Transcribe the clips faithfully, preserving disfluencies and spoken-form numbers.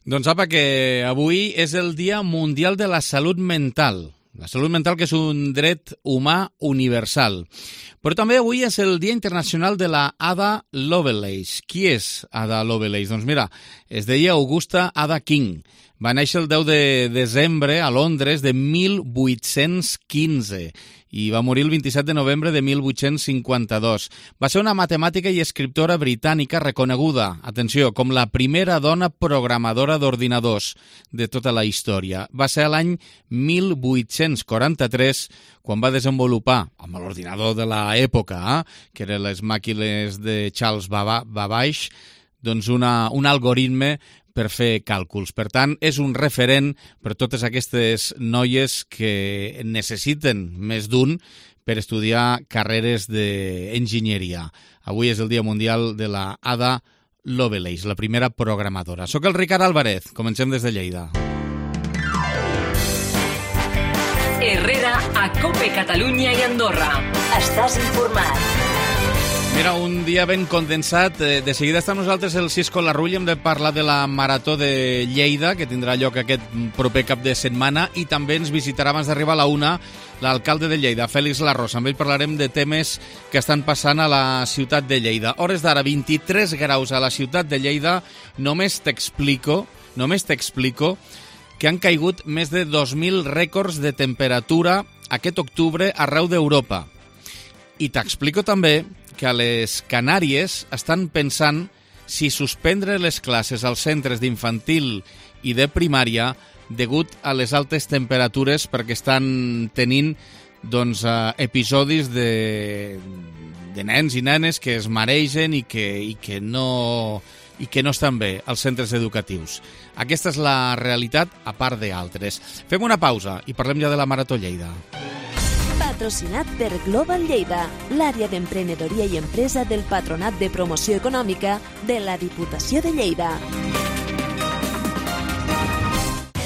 Doncs apa, que avui és el Dia Mundial de la Salut Mental. La salut mental, que és un dret humà universal. Però també avui és el Dia Internacional de la Ada Lovelace. Qui és Ada Lovelace? Doncs mira, es deia Augusta Ada King. Va néixer el deu de desembre a Londres de mil vuit-cents quinze i va morir el vint-i-set de novembre de mil vuit-cents cinquanta-dos. Va ser una matemàtica i escriptora britànica reconeguda, atenció, com la primera dona programadora d'ordinadors de tota la història. Va ser l'any mil vuit-cents quaranta-tres quan va desenvolupar, amb l'ordinador de l'època, eh, que eren les màquines de Charles Babbage, doncs una, un algoritme per fer càlculs. Per tant, és un referent per totes aquestes noies que necessiten més d'un per estudiar carreres d'enginyeria. Avui és el Dia Mundial de la Ada Lovelace, la primera programadora. Soc el Ricard Álvarez, comencem des de Lleida. Herrera, a COPE Catalunya i Andorra. Estàs informat. Mira, un dia ben condensat. De seguida està amb nosaltres el Cisco Larrull. Hem de parlar de la Marató de Lleida, que tindrà lloc aquest proper cap de setmana, i també ens visitarà abans d'arribar a la una l'alcalde de Lleida, Félix Larrosa. Amb ell parlarem de temes que estan passant a la ciutat de Lleida. Hores d'ara, vint-i-tres graus a la ciutat de Lleida. Només t'explico, només t'explico que han caigut més de dos mil rècords de temperatura aquest octubre arreu d'Europa. I t'explico també que a les Canàries estan pensant si suspendre les classes als centres d'infantil i de primària degut a les altes temperatures, perquè estan tenint doncs, episodis de, de nens i nenes que es maregen i que, i que no... i que no estan bé als centres educatius. Aquesta és la realitat, a part d'altres. Fem una pausa i parlem ja de la Marató Lleida. Patrocinat per Global Lleida, l'àrea d'emprenedoria i empresa del Patronat de Promoció Econòmica de la Diputació de Lleida.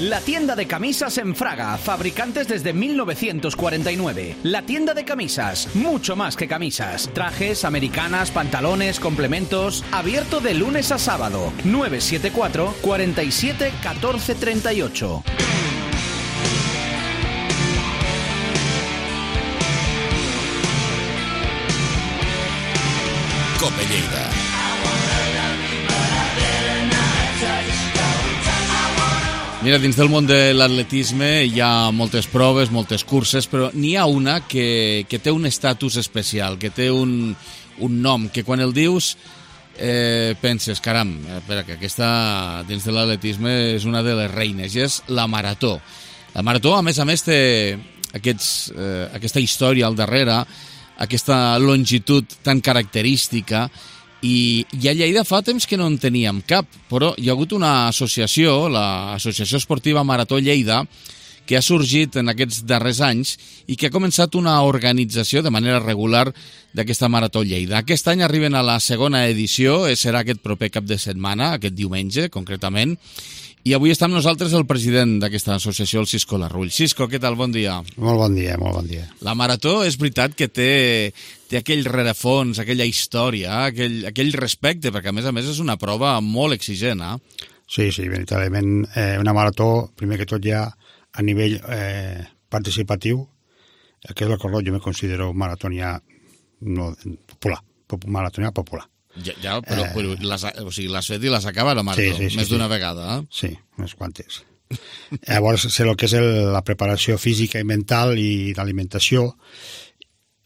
La tienda de camisas en Fraga, fabricantes desde mil novecientos cuarenta y nueve. La tienda de camisas, mucho más que camisas. Trajes, americanas, pantalones, complementos. Abierto de lunes a sábado. nueve siete cuatro, cuatro siete, uno cuatro tres ocho. COPE Lleida. Mira, dins del món de l'atletisme hi ha moltes proves, moltes curses, però n'hi ha una que, que té un estatus especial, que té un, un nom, que quan el dius eh, penses, caram, espera, que aquesta dins de l'atletisme és una de les reines, i és la Marató. La Marató, a més a més, té aquests, eh, aquesta història al darrere, aquesta longitud tan característica, i, i a Lleida fa temps que no en teníem cap, però hi ha hagut una associació, l'Associació Esportiva Marató Lleida, que ha sorgit en aquests darrers anys i que ha començat una organització de manera regular d'aquesta Marató Lleida. Aquest any arriben a la segona edició, serà aquest proper cap de setmana, aquest diumenge concretament, i avui està amb nosaltres el president d'aquesta associació, el Cisco Larrull. Cisco, què tal? Bon dia. Molt bon dia, molt bon dia. La Marató és veritat que té, té aquell rerefons, aquella història, aquell, aquell respecte, perquè a més a més és una prova molt exigent, eh? Sí, sí, veritablement. Eh, una marató, primer que tot ja a nivell eh, participatiu, que és el que jo me considero maratonià no, popular, maratonià popular. Ja, ja però, eh... però les, o sigui, l'has fet i l'has acabat la marató, sí, sí, sí, més d'una sí. vegada, eh? Sí, unes quantes. Llavors, sé el que és el, la preparació física i mental i d'alimentació.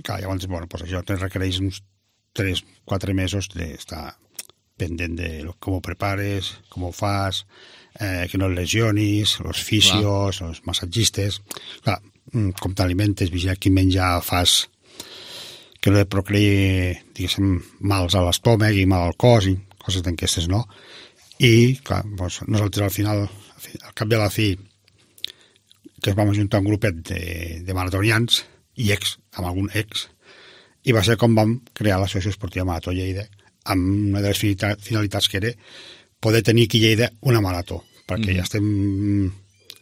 Clar, llavors, bueno, pues això te requereix uns tres quatre mesos d'estar pendent de com ho prepares, com ho fas, eh, que no et lesionis, els fisios, els massatgistes. Clar, com t'alimentes, vigilar quin menjar fas, que no et procreï, diguéssim, mals a l'estómac i mal al cos i coses d'aquestes, no? I, clar, doncs, nosaltres al final, al cap de la fi, que es vam ajuntar un grupet de, de maratonians i ex, amb algun ex, i va ser com vam crear l'Associació Esportiva Marató Lleida, amb una de les finalitats que era poder tenir aquí a Lleida una marató, perquè mm. ja estem,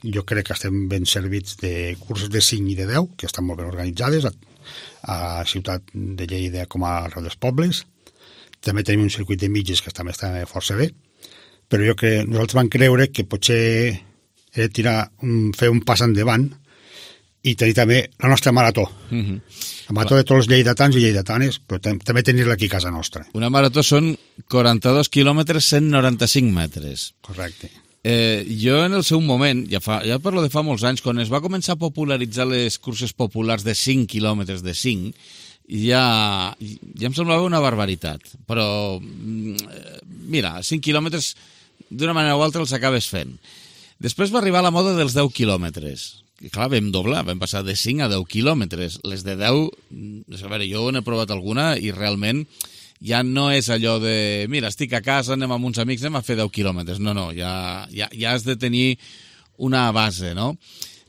jo crec que estem ben servits de cursos de cinc i de deu, que estan molt ben organitzades, a, a la ciutat de Lleida com a arreu dels pobles. També tenim un circuit de mitges que també està força bé, però jo que nosaltres vam creure que potser era tirar, un, fer un pas endavant i tenir també la nostra marató. Mm-hmm. La marató de tots els lleidatans i lleidatanes, però també tenir-la aquí a casa nostra. Una marató són quaranta-dos quilòmetres, cent noranta-cinc metres. Correcte. Eh, jo en el seu moment, ja, fa, ja parlo de fa molts anys, quan es va començar a popularitzar les curses populars de cinc quilòmetres de cinc, ja, ja em semblava una barbaritat. Però, mira, cinc quilòmetres d'una manera o altra els acabes fent. Després va arribar la moda dels deu quilòmetres. I clar, vam doblar, vam passar de cinc a deu quilòmetres. Les de deu, a veure, jo n'he provat alguna i realment ja no és allò de, mira, estic a casa, anem amb uns amics, anem a fer deu quilòmetres. No, no, ja, ja, ja has de tenir una base, no?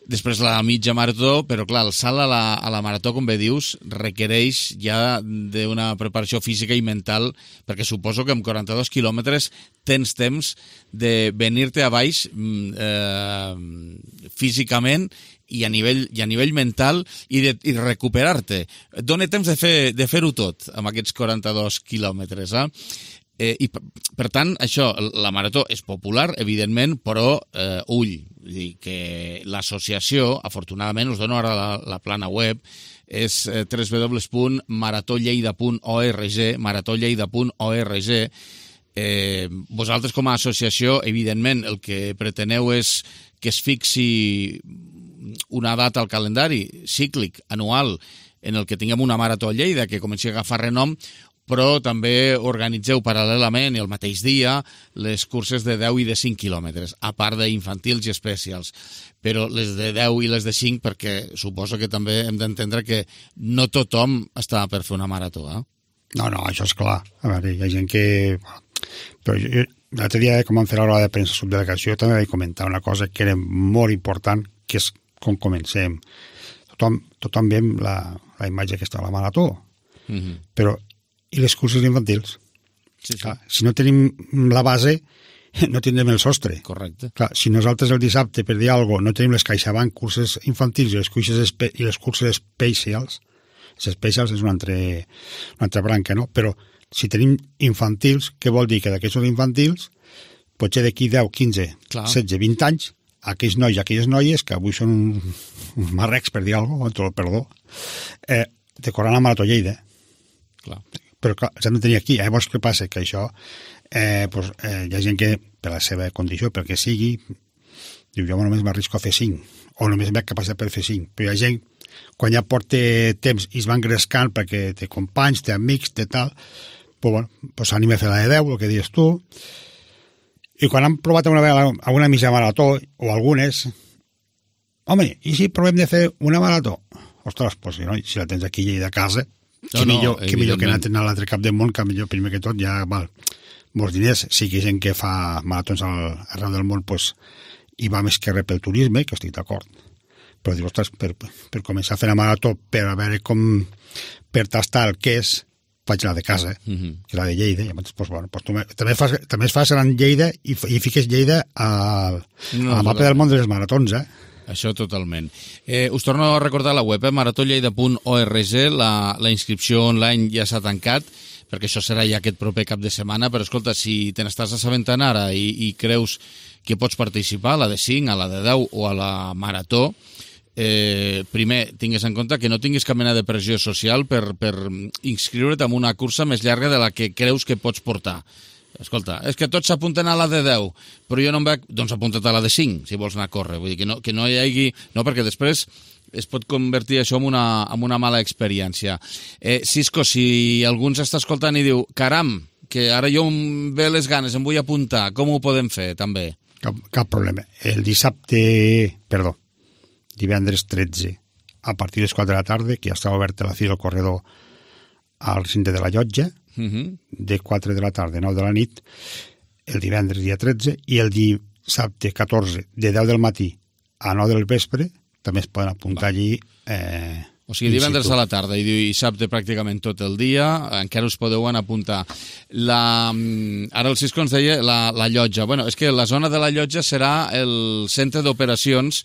Després la mitja marató, però clar, el salt a la, a la marató, com bé dius, requereix ja d'una preparació física i mental, perquè suposo que amb quaranta-dos quilòmetres tens temps de venir-te a baix eh, físicament i a nivell, i a nivell mental i, de, i recuperar-te. Et dona temps de, fer, de fer-ho tot amb aquests quaranta-dos quilòmetres, eh? Eh, I, per tant, això, la marató és popular, evidentment, però eh, ull, dir que l'associació, afortunadament, us dono ara la, la plana web, és eh, w w w punt marató lleida punt org, marató lleida punt org. Eh, vosaltres, com a associació, evidentment, el que preteneu és que es fixi una data al calendari cíclic, anual, en el que tinguem una marató a Lleida, que comenci a agafar renom, però també organitzeu paral·lelament i el mateix dia les curses de deu i de cinc quilòmetres, a part d'infantils i especials. Però les de deu i les de cinc, perquè suposo que també hem d'entendre que no tothom està per fer una marató, eh? No, no, això és clar. A veure, hi ha gent que... Però jo, l'altre dia, com vam fer la roda de premsa subdelegació, també vaig comentar una cosa que era molt important, que és com comencem. Tothom, tothom veiem la, la imatge que està a la marató, mm-hmm. però i les curses infantils. Sí, sí. Clar, si no tenim la base, no tindrem el sostre. Correcte. Clar, si nosaltres el dissabte, per dir alguna cosa, no tenim les CaixaBank curses infantils i les curses, espe i les curses specials, les specials és una altra, una altra branca, no? Però si tenim infantils, què vol dir? Que d'aquests infantils, potser d'aquí deu, quinze, Clar. setze, vint anys, aquells nois i aquelles noies, que avui són uns marrecs, per dir alguna cosa, amb perdó, eh, decorant la Marató Lleida. Clar. Però clar, s'han de tenir aquí. Llavors, què passa? Que això, eh, pues, eh, hi ha gent que, per la seva condició, pel que sigui, diu, jo només m'arrisco a fer cinc, o només m'he capacitat per fer cinc. Però hi ha gent, quan ja porta temps i es va engrescant perquè té companys, té amics, té tal, pues, bueno, pues s'anima a fer la de deu, el que dius tu, i quan han provat una vegada alguna mitja marató, o algunes, home, i si provem de fer una marató? Ostres, pues, no, si la tens aquí a casa, No, que, millor, no, que millor que anar a l'altre cap del món, que millor primer que tot ja val molts diners. Sí que hi ha gent que fa maratons al, arreu del món, pues, i va més que res pel turisme, que estic d'acord. Però dius, ostres, per, per començar a fer la marató, per a veure com, per tastar el que és, faig la de casa, mm-hmm. que la de Lleida. I llavors, pues, bueno, pues, tu, també, fas, també es fa en Lleida i, i fiques Lleida a, no, a la mapa del món de les maratons, eh? Això totalment. Eh, us torno a recordar la web, eh? marató lleida punt org, la, la inscripció online ja s'ha tancat, perquè això serà ja aquest proper cap de setmana, però escolta, si te n'estàs assabentant ara i, i creus que pots participar a la de cinc, a la de deu o a la marató, eh, primer, tingues en compte que no tinguis cap mena de pressió social per, per inscriure't en una cursa més llarga de la que creus que pots portar. Escolta, és que tots s'apunten a la de deu, però jo no em veig... Doncs apunta't a la de cinc, si vols anar a córrer. Vull dir que no, que no hi hagi... No, perquè després es pot convertir això en una, en una mala experiència. Eh, Cisco, si algú ens està escoltant i diu caram, que ara jo em ve les ganes, em vull apuntar, com ho podem fer, també? Cap, cap problema. El dissabte... Perdó, divendres tretze, a partir de les quatre de la tarda, que ja està obert la fila al corredor al recinte de la Llotja, Uh-huh. de quatre de la tarda a nou de la nit, el divendres dia tretze, i el dissabte catorze de deu del matí a nou del vespre també es poden apuntar Va. allí. Eh, o sigui, divendres a la tarda i dissabte pràcticament tot el dia, encara us podeu anar a apuntar. La, ara el Cisco ens deia la, la Llotja. Bueno, és que la zona de la Llotja serà el centre d'operacions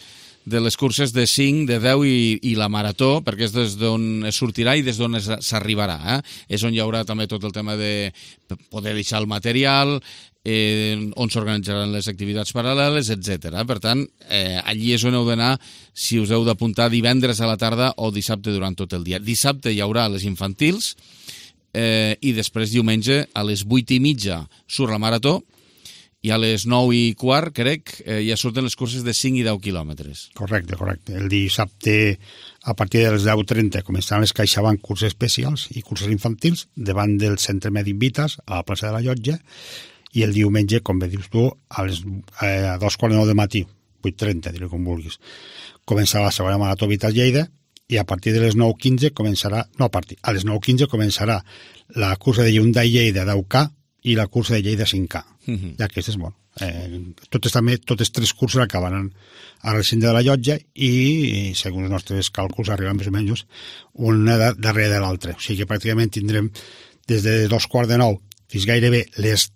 de les curses de cinc, de deu i, i la marató, perquè és des d'on es sortirà i des d'on s'arribarà. Eh? És on hi haurà també tot el tema de poder deixar el material, eh, on s'organitzaran les activitats paral·leles, etcètera. Per tant, eh, allí és on heu d'anar si us heu d'apuntar divendres a la tarda o dissabte durant tot el dia. Dissabte hi haurà les infantils eh, i després diumenge a les vuit i mitja surt la marató i a les nou i quart, crec, eh, ja surten les curses de cinc i deu quilòmetres. Correcte, correcte. El dissabte, a partir de les deu trenta, començaran les CaixaBank curses especials i curses infantils davant del Centre Mèdic Vitas, a la plaça de la Llotja, i el diumenge, com bé dius tu, a les eh, a dos quarts de nou de matí, vuit trenta, diré com vulguis, començarà la segona marató Vitas Lleida, i a partir de les nou quinze començarà, no a partir, a les nou quinze començarà la cursa de Hyundai Lleida deu K i la cursa de Lleida cinc K. Uh-huh. I aquestes, bueno, eh, totes també, totes tres curses acabaran a recinte de la Llotja i, i segons els nostres càlculs, arriben més o menys una darrere de l'altra. O sigui que pràcticament tindrem des de dos quarts de nou fins gairebé les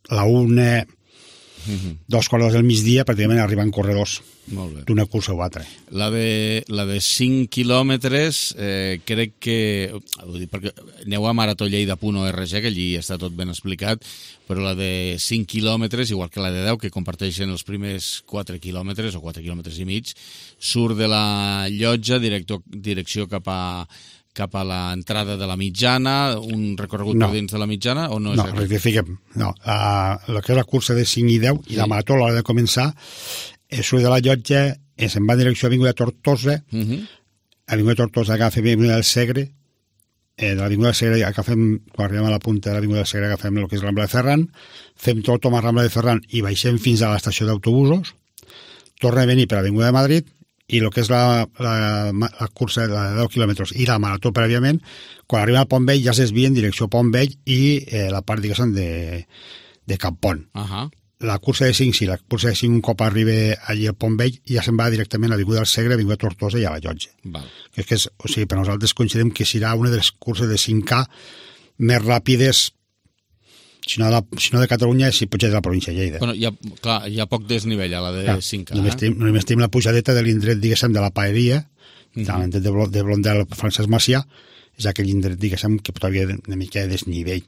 la una, uh-huh. dos quarts del migdia, pràcticament arriben corredors d'una cursa o altra. La de, la de cinc quilòmetres, eh, crec que... Vull dir, perquè aneu a maratolleida punt org, que allí està tot ben explicat, però la de cinc quilòmetres, igual que la de deu, que comparteixen els primers quatre quilòmetres o quatre quilòmetres i mig, surt de la Llotja, director, direcció cap a cap a l'entrada de la Mitjana, un recorregut no. per dins de la Mitjana, o no és No, rectifiquem. No, uh, el que és la cursa de cinc i deu sí. i la marató a l'hora de començar és surt de la Llotja, se'n va en direcció a Avinguda Tortosa, uh-huh. Avinguda Tortosa agafa Avinguda del Segre, eh, de l'Avinguda del Segre agafem, quan arribem a la punta de l'Avinguda del Segre agafem el que és Rambla de Ferran, fem tot a Rambla de Ferran i baixem fins a l'estació d'autobusos, torna a venir per l'Avinguda de Madrid, i el que és la, la, la cursa de deu quilòmetres i la marató prèviament, quan arriba a Pont Vell ja es desvia en direcció a Pont Vell i eh, la part, diguéssim, de, de Campont. Uh-huh. La cursa de cinc, sí, la cursa de cinc un cop arriba allí al Pont Vell ja se'n va directament a l'Avinguda del Segre, a l'Avinguda Tortosa i a la Llotja. Val. Que és que és, o sigui, per nosaltres considerem que serà una de les curses de cinc K més ràpides, si no, de, si no de Catalunya, si potser de la província de Lleida. Bueno, hi ha, clar, hi ha poc desnivell a la de clar, cinc K. Només, eh? tenim, només tenim la pujadeta de l'indret, diguéssim, de la Paeria, uh-huh. de l'indret de, de Blondel Francesc Macià, és aquell indret, diguéssim, que pot haver una mica de desnivell.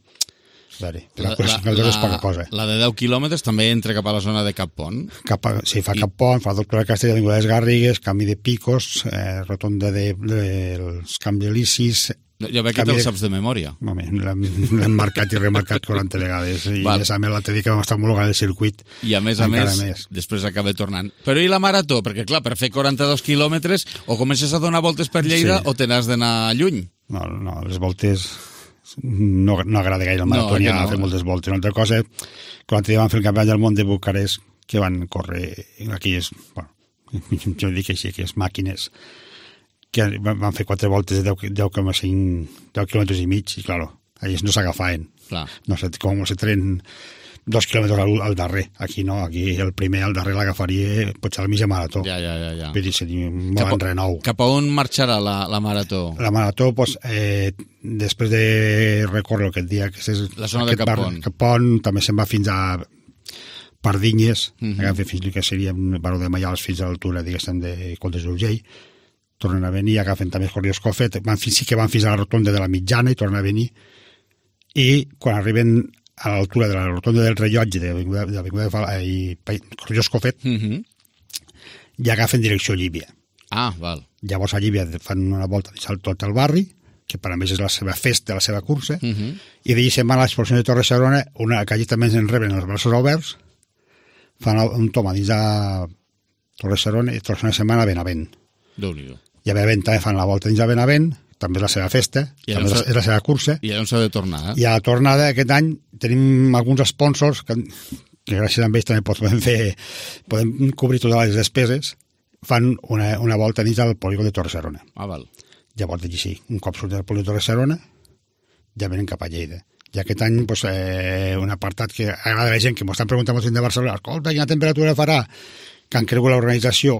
Veure, la, la, la, és poca cosa. La de deu quilòmetres també entra cap a la zona de Cap Pont. Cap a, sí, fa I... Cap Pont, fa Doctora Castell, Avinguda de les Garrigues, canvi de Picos, eh, rotonda de, de, dels Camps Elisis. Ja veig que te'l saps de memòria. L'hem marcat i remarcat quaranta vegades i Val. A més l'altre dia que vam estar homologant el circuit i a més a més, més després acaba tornant. Però i la marató? Perquè clar, per fer quaranta-dos quilòmetres o comences a donar voltes per Lleida sí. o te n'has d'anar lluny. No, no, les voltes no, no agrada gaire el marató, no, ni anar no. a fer moltes voltes. Una altra cosa, quan l'altre dia van fer el campionat del món de Bucarest, que van córrer aquelles, bueno, jo dic així, aquelles màquines que van fer quatre voltes de deu coma cinc quilòmetres i mig i, clar, ells no s'agafaven. No sé, com se tren dos quilòmetres al, al darrer. Aquí no, aquí el primer al darrer l'agafaria potser a la mitja marató. Ja, ja, ja. ja. Vull dir, seria molt renou. Cap a on marxarà la, la marató? La marató, doncs, eh, després de recórrer aquest dia, que és la zona de Cap Pont. Cap Pont, també se'n va fins a Pardinyes, uh-huh. agafa fins que seria un baró de Maials fins a l'altura, diguéssim, de Coltes d'Urgell. Tornen a venir, agafen també Corrió Escofet, van, sí que van fins a la rotonda de la Mitjana i tornen a venir, i quan arriben a l'altura de la rotonda del Rellotge de l'Avinguda de Fala i Corrió Escofet, uh-huh. ja agafen direcció a Llívia. Ah, val. Llavors a Llívia fan una volta de tot el barri, que per a més és la seva festa, la seva cursa, uh-huh. i d'allí se'n van a l'exposició de Torre Serona, una que allí també ens en reben els braços oberts, fan un tom a dins de Torre Serona i tornen a setmana a Benavent. Déu-n'hi-do. I a Benavent també fan la volta dins de Benavent, també és la seva festa, I també és la seva cursa. I on s'ha de tornar, eh? I a la tornada aquest any tenim alguns sponsors que, que gràcies a ells també podem fer, podem cobrir totes les despeses, fan una, una volta dins del polígon de Torre Serona. Ah, val. Llavors, d'aquí sí, un cop surt del polígon de Torre Serona, ja venen cap a Lleida. I aquest any, pues, eh, un apartat que agrada a la gent, que m'ho estan preguntant molt de Barcelona, escolta, quina temperatura farà? Que han cregut l'organització,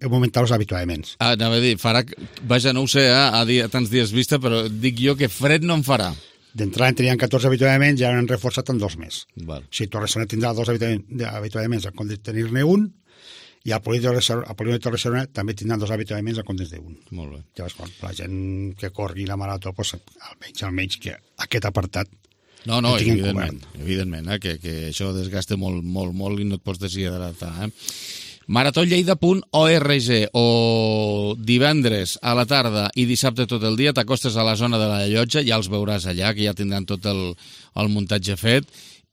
augmentar els habituaments. Ah, anava a dir, farà... Vaja, no ho sé, eh, a, dia, a tants dies vista, però dic jo que fred no en farà. D'entrada en tenien catorze habituaments i ara han reforçat en dos més. Val. O sigui, Torre Serona tindrà dos habituaments en compte de tenir-ne un i al polígon de Torre-serona també tindran dos avituallaments en comptes d'un. Molt bé. Llavors, quan la gent que corri la marató, pues, almenys, almenys que aquest apartat no, no, evidentment, evidentment eh, que, que això desgasta molt, molt, molt i no et pots deshidratar. Eh? marató lleida punt org o divendres a la tarda i dissabte tot el dia t'acostes a la zona de la Llotja, ja els veuràs allà, que ja tindran tot el, el muntatge fet,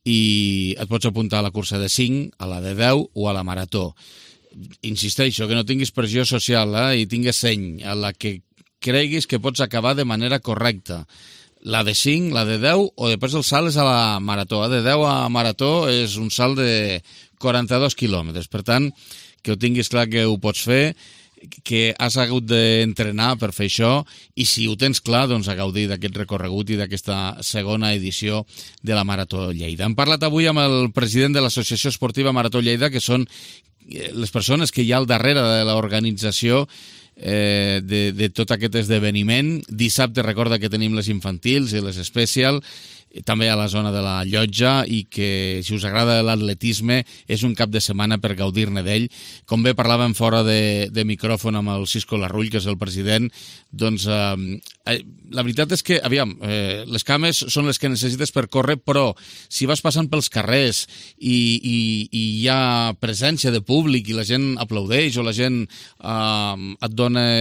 i et pots apuntar a la cursa de cinc, a la de deu o a la marató. Insisteixo, que no tinguis pressió social eh, i tingues seny a la que creguis que pots acabar de manera correcta. La de cinc, la de deu, o després el salt és a la marató. De deu a marató és un salt de quaranta-dos quilòmetres. Per tant, que ho tinguis clar que ho pots fer, que has hagut d'entrenar per fer això, i si ho tens clar, doncs a gaudir d'aquest recorregut i d'aquesta segona edició de la Marató Lleida. Hem parlat avui amb el president de l'Associació Esportiva Marató Lleida, que són les persones que hi ha al darrere de l'organització eh, de, de tot aquest esdeveniment. Dissabte recorda que tenim les infantils i les especial, també a la zona de la Llotja, i que si us agrada l'atletisme és un cap de setmana per gaudir-ne d'ell. Com bé parlàvem fora de, de micròfon amb el Cisco Larrull, que és el president, doncs eh, la veritat és que, aviam, eh, les cames són les que necessites per córrer, però si vas passant pels carrers i, i, i hi ha presència de públic i la gent aplaudeix o la gent eh, et dona,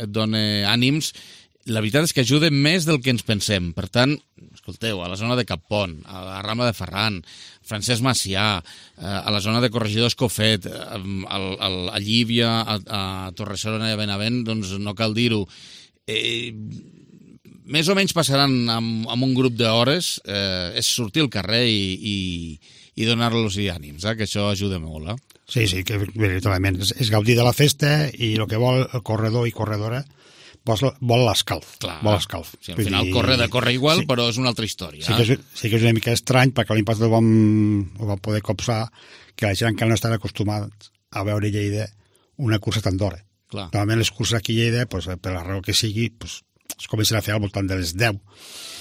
et dona ànims, la veritat és que ajuda més del que ens pensem. Per tant, escolteu, a la zona de Cappont, a la Rambla de Ferran, Francesc Macià, a la zona de Corregidor Escofet, a Llívia, a, a Torre-serona i a Benavent, doncs no cal dir-ho. Eh, més o menys passaran amb, amb un grup d'hores, eh, és sortir al carrer i, i, i donar-los ànims, eh, que això ajuda molt. Eh? Sí, sí, que veritablement és, és gaudir de la festa, i el que vol el corredor i corredora vol l'escalf. Clar, vol l'escalf. Sí, al final dir, corre de córrer igual, sí, però és una altra història. Sí que, és, sí que és una mica estrany, perquè l'impacte ho vam, ho vam poder copsar, que la gent encara no estan acostumats a veure a Lleida una cursa tant d'hora. Normalment les curses aquí a Lleida, pues, per la raó que sigui, pues, es comencen a fer al voltant de les deu.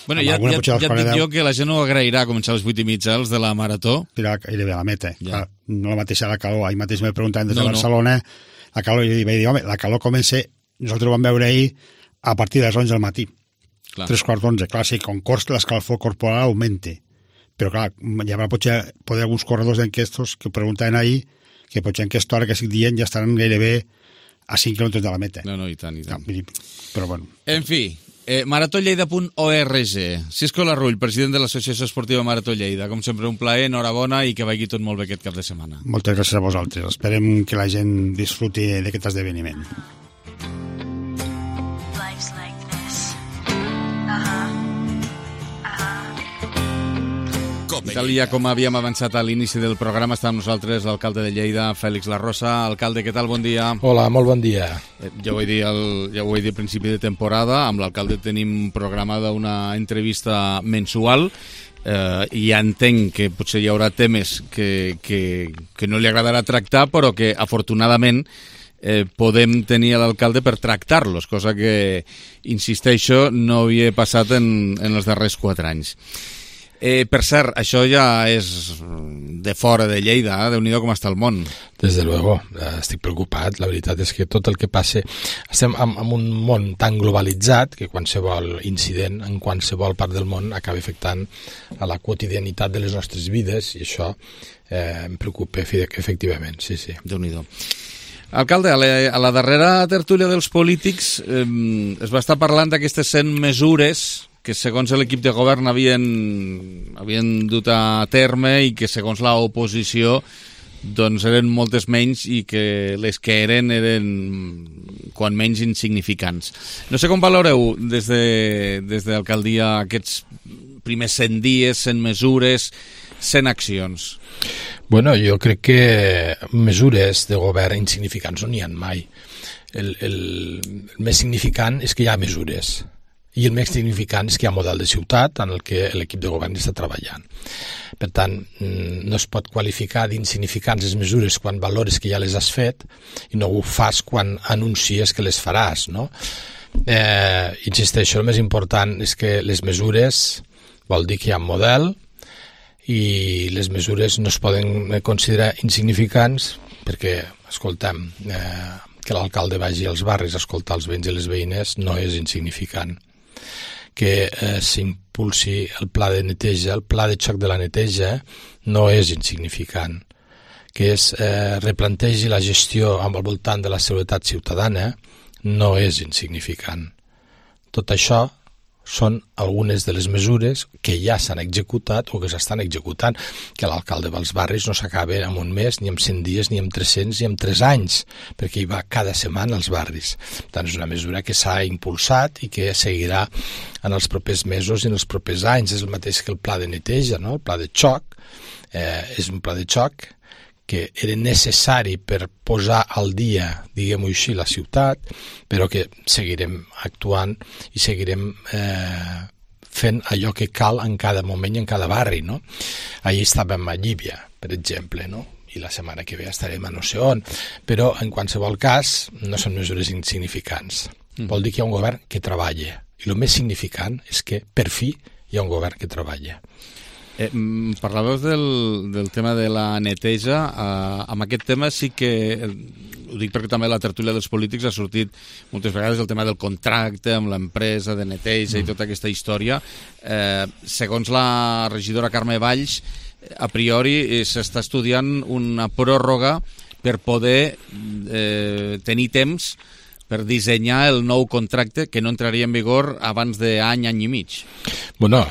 Bueno, ja, ja, ja et dic jo que la gent no agrairà començar a les vuit i mitja els de la marató. Però gairebé a la meta. Ja. Clar, no la mateixa la calor. Ahir mateix me preguntaven des de no, Barcelona, no. La calor, i vaig dir, home, la calor comença. Nosaltres ho vam veure ahir a partir de les onze del matí. Clar. Tres quarts d'onze. Clar, sí, com cors l'escalfor corporal augmente. Però clar, hi haurà potser poder alguns corredors d'enquestos que preguntaven ahir que potser en aquesta hora que estic dient ja estaran gairebé a cinc quilòmetres de la meta. No, no, i tant, i tant. Però bueno. En fi, eh, marató lleida punt org. Cisco Larrull, president de l'Associació Esportiva Marató Lleida. Com sempre, un plaer, enhorabona i que vagi tot molt bé aquest cap de setmana. Moltes gràcies a vosaltres. Esperem que la gent disfruti d'aquest esdeveniment. Tal i com havíem avançat a l'inici del programa, està amb nosaltres l'alcalde de Lleida, Fèlix Larrosa. Alcalde, què tal? Bon dia. Hola, molt bon dia. Eh, ja ho he dit, el, ja ho he dit a principi de temporada, amb l'alcalde tenim programada una entrevista mensual, eh, i ja entenc que potser hi haurà temes que, que, que no li agradarà tractar, però que afortunadament eh, podem tenir a l'alcalde per tractar-los, cosa que, insisteixo, no havia passat en, en els darrers quatre anys. Eh, per cert, això ja és de fora de Lleida, eh? Déu-n'hi-do com està el món. Des de luego, estic preocupat. La veritat és que tot el que passa... Estem en, en un món tan globalitzat que qualsevol incident en qualsevol part del món acaba afectant a la quotidianitat de les nostres vides, i això eh, em preocupa efectivament, sí, sí. Déu-n'hi-do. Alcalde, a la, a la darrera tertúlia dels polítics eh, es va estar parlant d'aquestes cent mesures que segons l'equip de govern havien, havien dut a terme i que segons l'oposició doncs eren moltes menys, i que les que eren eren quan menys insignificants. No sé com valoreu des de, des de l'alcaldia aquests primers cent dies, cent mesures, cent accions. Bueno, jo crec que mesures de govern insignificants no n'hi ha mai. El, el, el més significant és que hi ha mesures. I el més significant és que hi ha model de ciutat en el que l'equip de govern està treballant. Per tant, no es pot qualificar d'insignificants les mesures quan valores que ja les has fet i no ho fas quan anuncies que les faràs, no? Eh, insisteixo, el més important és que les mesures vol dir que hi ha model, i les mesures no es poden considerar insignificants perquè, escoltem, eh, que l'alcalde vagi als barris a escoltar els veïns i les veïnes no és insignificant. Que eh, s'impulsi el pla de neteja, el pla de xoc de la neteja, no és insignificant. Que es eh, replantegi la gestió al voltant de la seguretat ciutadana no és insignificant. Tot això són algunes de les mesures que ja s'han executat o que s'estan executant, que l'alcalde dels barris no s'acaba en un mes, ni en cent dies, ni en tres-cents, ni en tres anys, perquè hi va cada setmana als barris. Per tant, és una mesura que s'ha impulsat i que seguirà en els propers mesos i en els propers anys. És el mateix que el pla de neteja, no? El pla de xoc, eh, és un pla de xoc que era necessari per posar al dia, diguem-ho així, la ciutat, però que seguirem actuant i seguirem eh, fent allò que cal en cada moment i en cada barri, no? Ahir estàvem a Llívia, per exemple, no? I la setmana que ve estarem a no sé on, però en qualsevol cas no són mesures insignificants. Mm. Vol dir que hi ha un govern que treballa, i el més significant és que per fi hi ha un govern que treballa. Eh, parlàveu del, del tema de la neteja. Eh, amb aquest tema sí que, eh, ho dic perquè també la tertúlia dels polítics ha sortit moltes vegades el tema del contracte amb l'empresa de neteja mm. i tota aquesta història. Eh, segons la regidora Carme Valls, a priori eh, s'està estudiant una pròrroga per poder eh, tenir temps per dissenyar el nou contracte que no entraria en vigor abans d'any, any i mig. Bueno,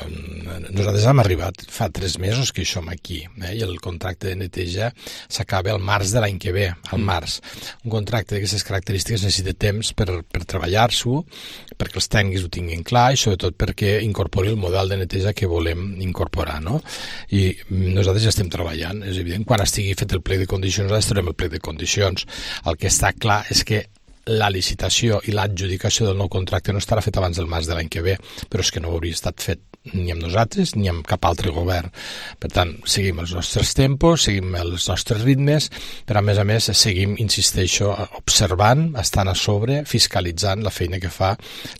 nosaltres hem arribat fa tres mesos que som aquí, eh? I el contracte de neteja s'acaba al març de l'any que ve, al mm. març. Un contracte d'aquestes característiques necessita temps per, per treballar-s'ho, perquè els tècnics ho tinguin clar i sobretot perquè incorpori el model de neteja que volem incorporar, no? I nosaltres ja estem treballant, és evident. Quan estigui fet el plec de condicions, nosaltres farem el plec de condicions. El que està clar és que la licitació i l'adjudicació del nou contracte no estarà fet abans del març de l'any que ve, però és que no hauria estat fet ni amb nosaltres ni amb cap altre govern. Per tant, seguim els nostres tempos, seguim els nostres ritmes, però a més a més seguim, insisteixo, observant, estant a sobre, fiscalitzant la feina que fa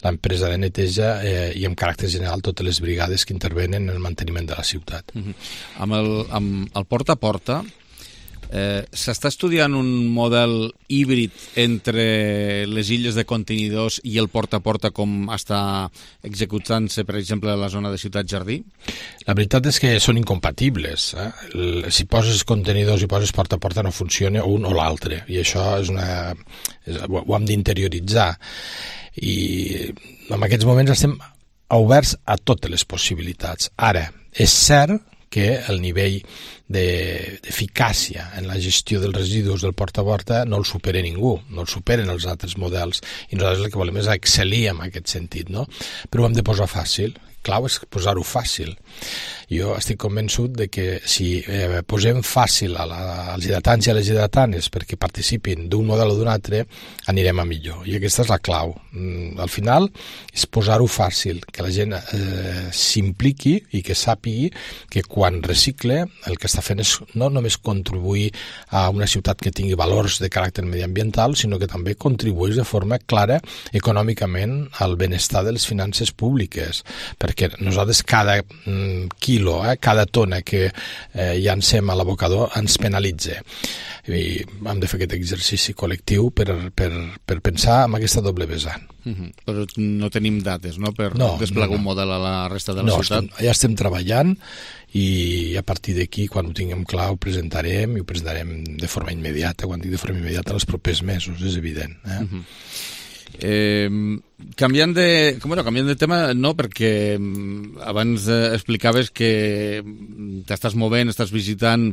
l'empresa de neteja eh, i en caràcter general totes les brigades que intervenen en el manteniment de la ciutat. Mm-hmm. Amb el, amb el porta a porta, Eh, s'està estudiant un model híbrid entre les illes de contenidors i el porta a porta com està executant-se, per exemple, a la zona de Ciutat Jardí? La veritat és que són incompatibles. Eh? Si poses contenidors i poses porta a porta no funciona un o l'altre, i això és una, és, ho hem d'interioritzar. I en aquests moments estem oberts a totes les possibilitats. Ara, és cert que el nivell d'eficàcia en la gestió dels residus del porta a porta no el supera ningú, no el superen els altres models, i nosaltres el que volem és excel·lir en aquest sentit, no? Però ho hem de posar fàcil, clau és posar-ho fàcil. Jo estic convençut de que si eh, posem fàcil a la, als hidratants i a les hidratanes perquè participin d'un model o d'un altre, anirem a millor, i aquesta és la clau. Mm, al final és posar-ho fàcil, que la gent eh, s'impliqui i que sàpigui que quan recicle el que està fent és no només contribuir a una ciutat que tingui valors de caràcter mediambiental, sinó que també contribueix de forma clara econòmicament al benestar de les finances públiques, perquè nosaltres cada mm, quilo, eh, cada tona que eh, llancem a l'abocador ens penalitza. I hem de fer aquest exercici col·lectiu per, per, per pensar en aquesta doble vessant. Mm-hmm. Però no tenim dates, no?, per no, desplegar no, no. un model a la resta de la no, ciutat? Estem, ja estem treballant, i a partir d'aquí, quan ho tinguem clar, ho presentarem, i ho presentarem de forma immediata. Quan dic de forma immediata, en els propers mesos, és evident. Eh? Mm-hmm. Eh, canviant de bueno, canviant de tema, no, perquè abans eh, explicaves que t'estàs movent, estàs visitant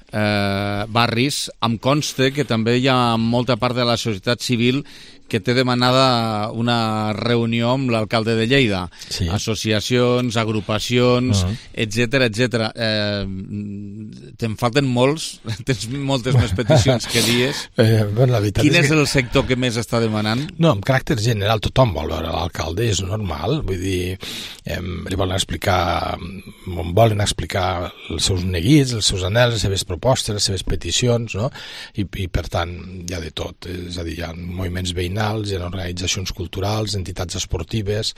eh, barris. Em consta que també hi ha molta part de la societat civil que té demanada una reunió amb l'alcalde de Lleida. Sí. Associacions, agrupacions, uh-huh. etcètera, etcètera. Eh, te'n falten molts? Tens moltes més peticions que dies? Eh, bueno, la veritat Quin és, és que... el sector que més està demanant? No, en caràcter general tothom vol veure l'alcalde, és normal. Vull dir, eh, li volen explicar, volen explicar els seus neguits, els seus anhels, les seves propostes, les seves peticions, no? I, i per tant, hi ha de tot. És a dir, hi ha moviments veïnals, hi ha organitzacions culturals, entitats esportives,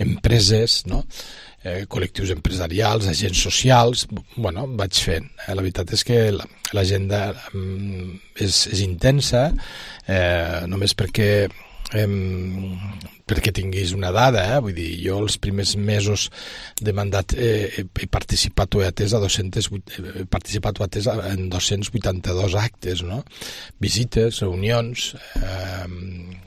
empreses, no? eh, col·lectius empresarials, agents socials, bueno, vaig fent. Eh, la veritat és que l'agenda mm, és, és intensa, eh, només perquè eh, perquè tinguis una dada, eh? Vull dir, jo els primers mesos de mandat eh, he participat o he atès a dos-cents, he participat o atès en dos-cents vuitanta-dos actes, no? Visites, reunions, eh,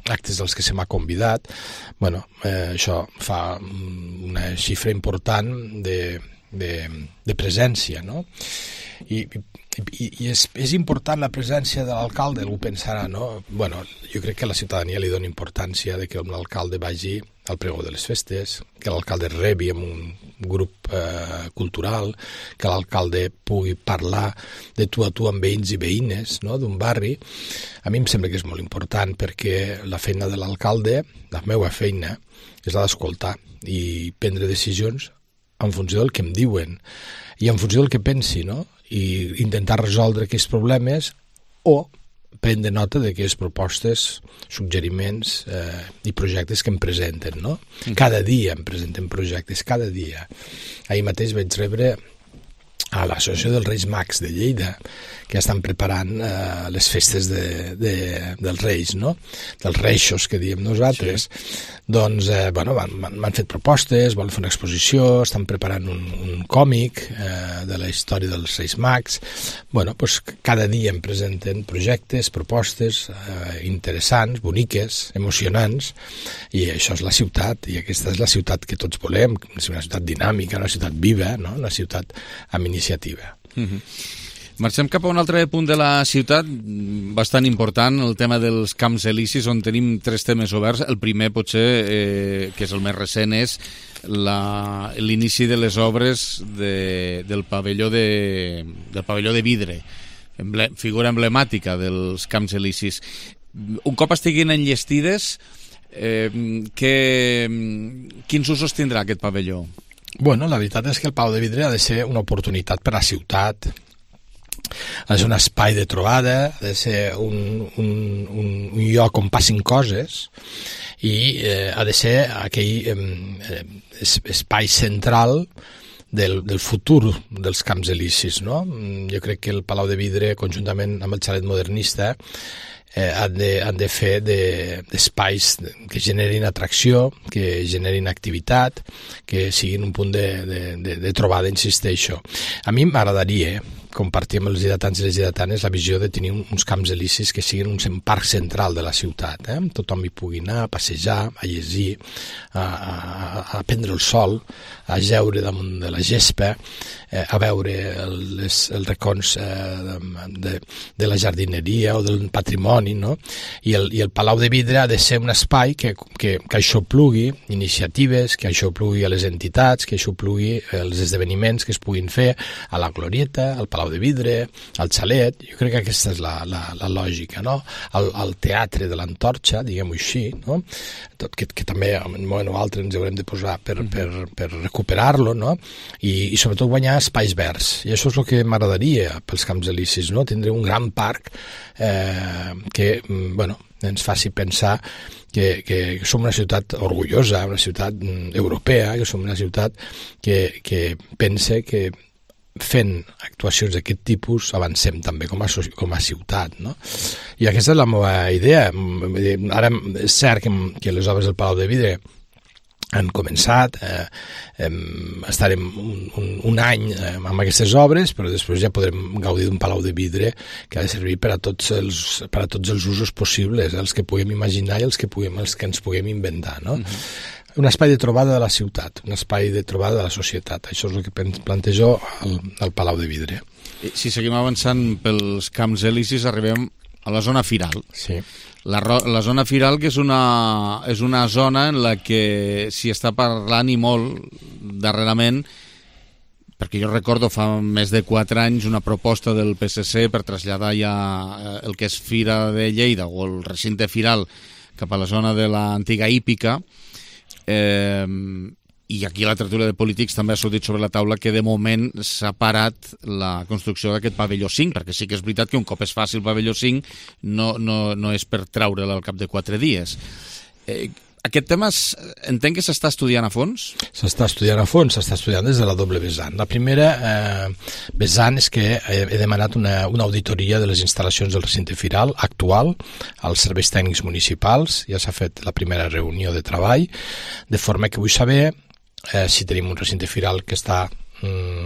actes dels que se m'ha convidat. Bueno, eh, això fa una xifra important de, de, de presència, no? I, i, i és, és important la presència de l'alcalde, algú pensarà, no? Bueno, jo crec que la ciutadania li dona importància de que l'alcalde vagi al pregó de les festes, que l'alcalde rebi amb un grup eh, cultural, que l'alcalde pugui parlar de tu a tu amb veïns i veïnes, no?, d'un barri. A mi em sembla que és molt important perquè la feina de l'alcalde, la meva feina, és la d'escoltar i prendre decisions en funció del que em diuen i en funció del que pensi, no?, i intentar resoldre aquests problemes o prendre nota d'aquestes propostes, suggeriments eh, i projectes que em presenten, no? Cada dia em presenten projectes, cada dia. Ahir mateix vaig rebre a l'Associació dels Reis Mags de Lleida, que estan preparant eh, les festes de, de, dels Reis, no? Dels Reixos, que diem nosaltres. Sí. Doncs, eh, bueno, m'han fet propostes, volen fer una exposició, estan preparant un, un còmic eh, de la història dels Reis Mags. Bueno, doncs cada dia em presenten projectes, propostes eh, interessants, boniques, emocionants, i això és la ciutat, i aquesta és la ciutat que tots volem, una ciutat dinàmica, una ciutat viva, no? Una ciutat amb iniciativa. Mm-hmm. Marxem cap a un altre punt de la ciutat, bastant important, el tema dels Camps Elisis, on tenim tres temes oberts. El primer, potser, eh, que és el més recent, és l'inici de les obres de, del pavelló de, del pavelló de vidre, emble, figura emblemàtica dels Camps Elisis. Un cop estiguin enllestides, eh, que, quins usos tindrà aquest pavelló? Bueno, la veritat és que el Palau de Vidre ha de ser una oportunitat per a la ciutat, ha de ser un espai de trobada, ha de ser un, un, un, un lloc on passin coses i eh, ha de ser aquell eh, espai central del, del futur dels Camps Elisis, no? Jo crec que el Palau de Vidre, conjuntament amb el Xalet Modernista, eh, han, de, han de fer d'espais de, que generin atracció, que generin activitat, que siguin un punt de, de, de, de trobada, insisteixo. A mi m'agradaria compartir amb els lleidatans i les lleidatanes la visió de tenir uns Camps Elisis que siguin un parc central de la ciutat. Eh? Tothom hi pugui anar a passejar, a llegir, a, a, a prendre el sol, a jeure damunt de la gespa, eh, a veure les, els racons eh, de, de la jardineria o del patrimoni, no? I el, i el Palau de Vidre ha de ser un espai que, que, que això plugui iniciatives, que això plugui a les entitats, que això plugui els esdeveniments que es puguin fer a la Glorieta, al Palau de Vidre, al Xalet. Jo crec que aquesta és la, la, la lògica, no? El, el teatre de l'Antorxa, diguem-ho així, no? Tot, que, que també en un moment o altre ens haurem de posar per, per, per recuperar-lo, no? I, i sobretot guanyar espais verds. I això és el que m'agradaria pels Camps Elisis, no? Tindre un gran parc eh, que, bueno, ens faci pensar que, que som una ciutat orgullosa, una ciutat europea, que som una ciutat que, que pense que fent actuacions d'aquest tipus avancem també com a, com a ciutat, no? I aquesta és la meva idea. Ara és cert que, que les obres del Palau de Vidre han començat, eh, eh, estarem un, un, un any eh, amb aquestes obres, però després ja podrem gaudir d'un Palau de Vidre que ha de servir per a tots els, per a tots els usos possibles, els que puguem imaginar i els que, puguem, els que ens puguem inventar, no? Mm-hmm. Un espai de trobada de la ciutat, un espai de trobada de la societat. Això és el que plantejo al, al Palau de Vidre. Si seguim avançant pels Camps Elisis, arribem a la zona firal. Sí. La, la zona firal, que és una, és una zona en la que s'hi està parlant i molt darrerament, perquè jo recordo fa més de quatre anys una proposta del P S C per traslladar ja el que és Fira de Lleida o el recinte firal cap a la zona de l'antiga hípica. Eh, i aquí la tertúlia de polítics també ha sortit sobre la taula que de moment s'ha parat la construcció d'aquest pavelló cinc, perquè sí que és veritat que un cop es faci el pavelló cinc no, no, no és per treure'l al cap de quatre dies. Eh, aquest tema entenc que s'està estudiant a fons? S'està estudiant a fons, s'està estudiant des de la doble vessant. La primera eh, vessant és que he, he demanat una, una auditoria de les instal·lacions del recinte firal actual als serveis tècnics municipals. Ja s'ha fet la primera reunió de treball, de forma que vull saber eh, si tenim un recinte firal que està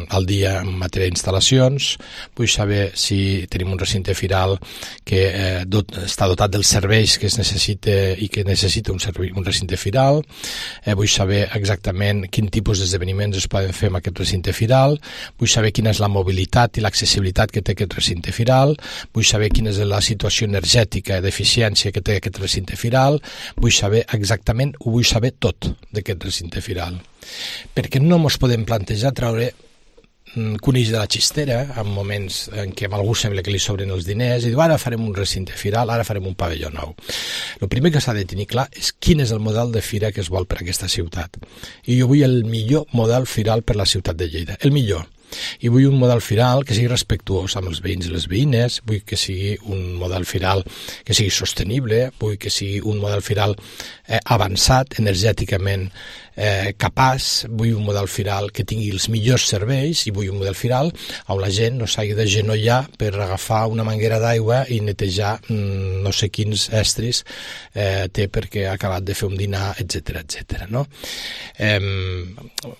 al dia en matèria d'instal·lacions, vull saber si tenim un recinte firal que eh, dot, està dotat dels serveis que es necessita i que necessita un, servei, un recinte firal, eh, vull saber exactament quin tipus d'esdeveniments es poden fer amb aquest recinte firal, vull saber quina és la mobilitat i l'accessibilitat que té aquest recinte firal, vull saber quina és la situació energètica d'eficiència que té aquest recinte firal, vull saber exactament, ho vull saber tot d'aquest recinte firal. Perquè no ens podem plantejar treure conills de la xistera en moments en què a algú sembla que li sobren els diners i diu ara farem un recinte firal, ara farem un pavelló nou. El primer que s'ha de tenir clar és quin és el model de fira que es vol per a aquesta ciutat. I jo vull el millor model firal per a la ciutat de Lleida, el millor. I vull un model firal que sigui respectuós amb els veïns i les veïnes, vull que sigui un model firal que sigui sostenible, vull que sigui un model firal eh, avançat, energèticament eh, capaç, vull un model firal que tingui els millors serveis i vull un model firal on la gent no s'hagi de genollar per agafar una manguera d'aigua i netejar mm, no sé quins estris eh, té perquè ha acabat de fer un dinar, etcètera, etcètera, no? Eh,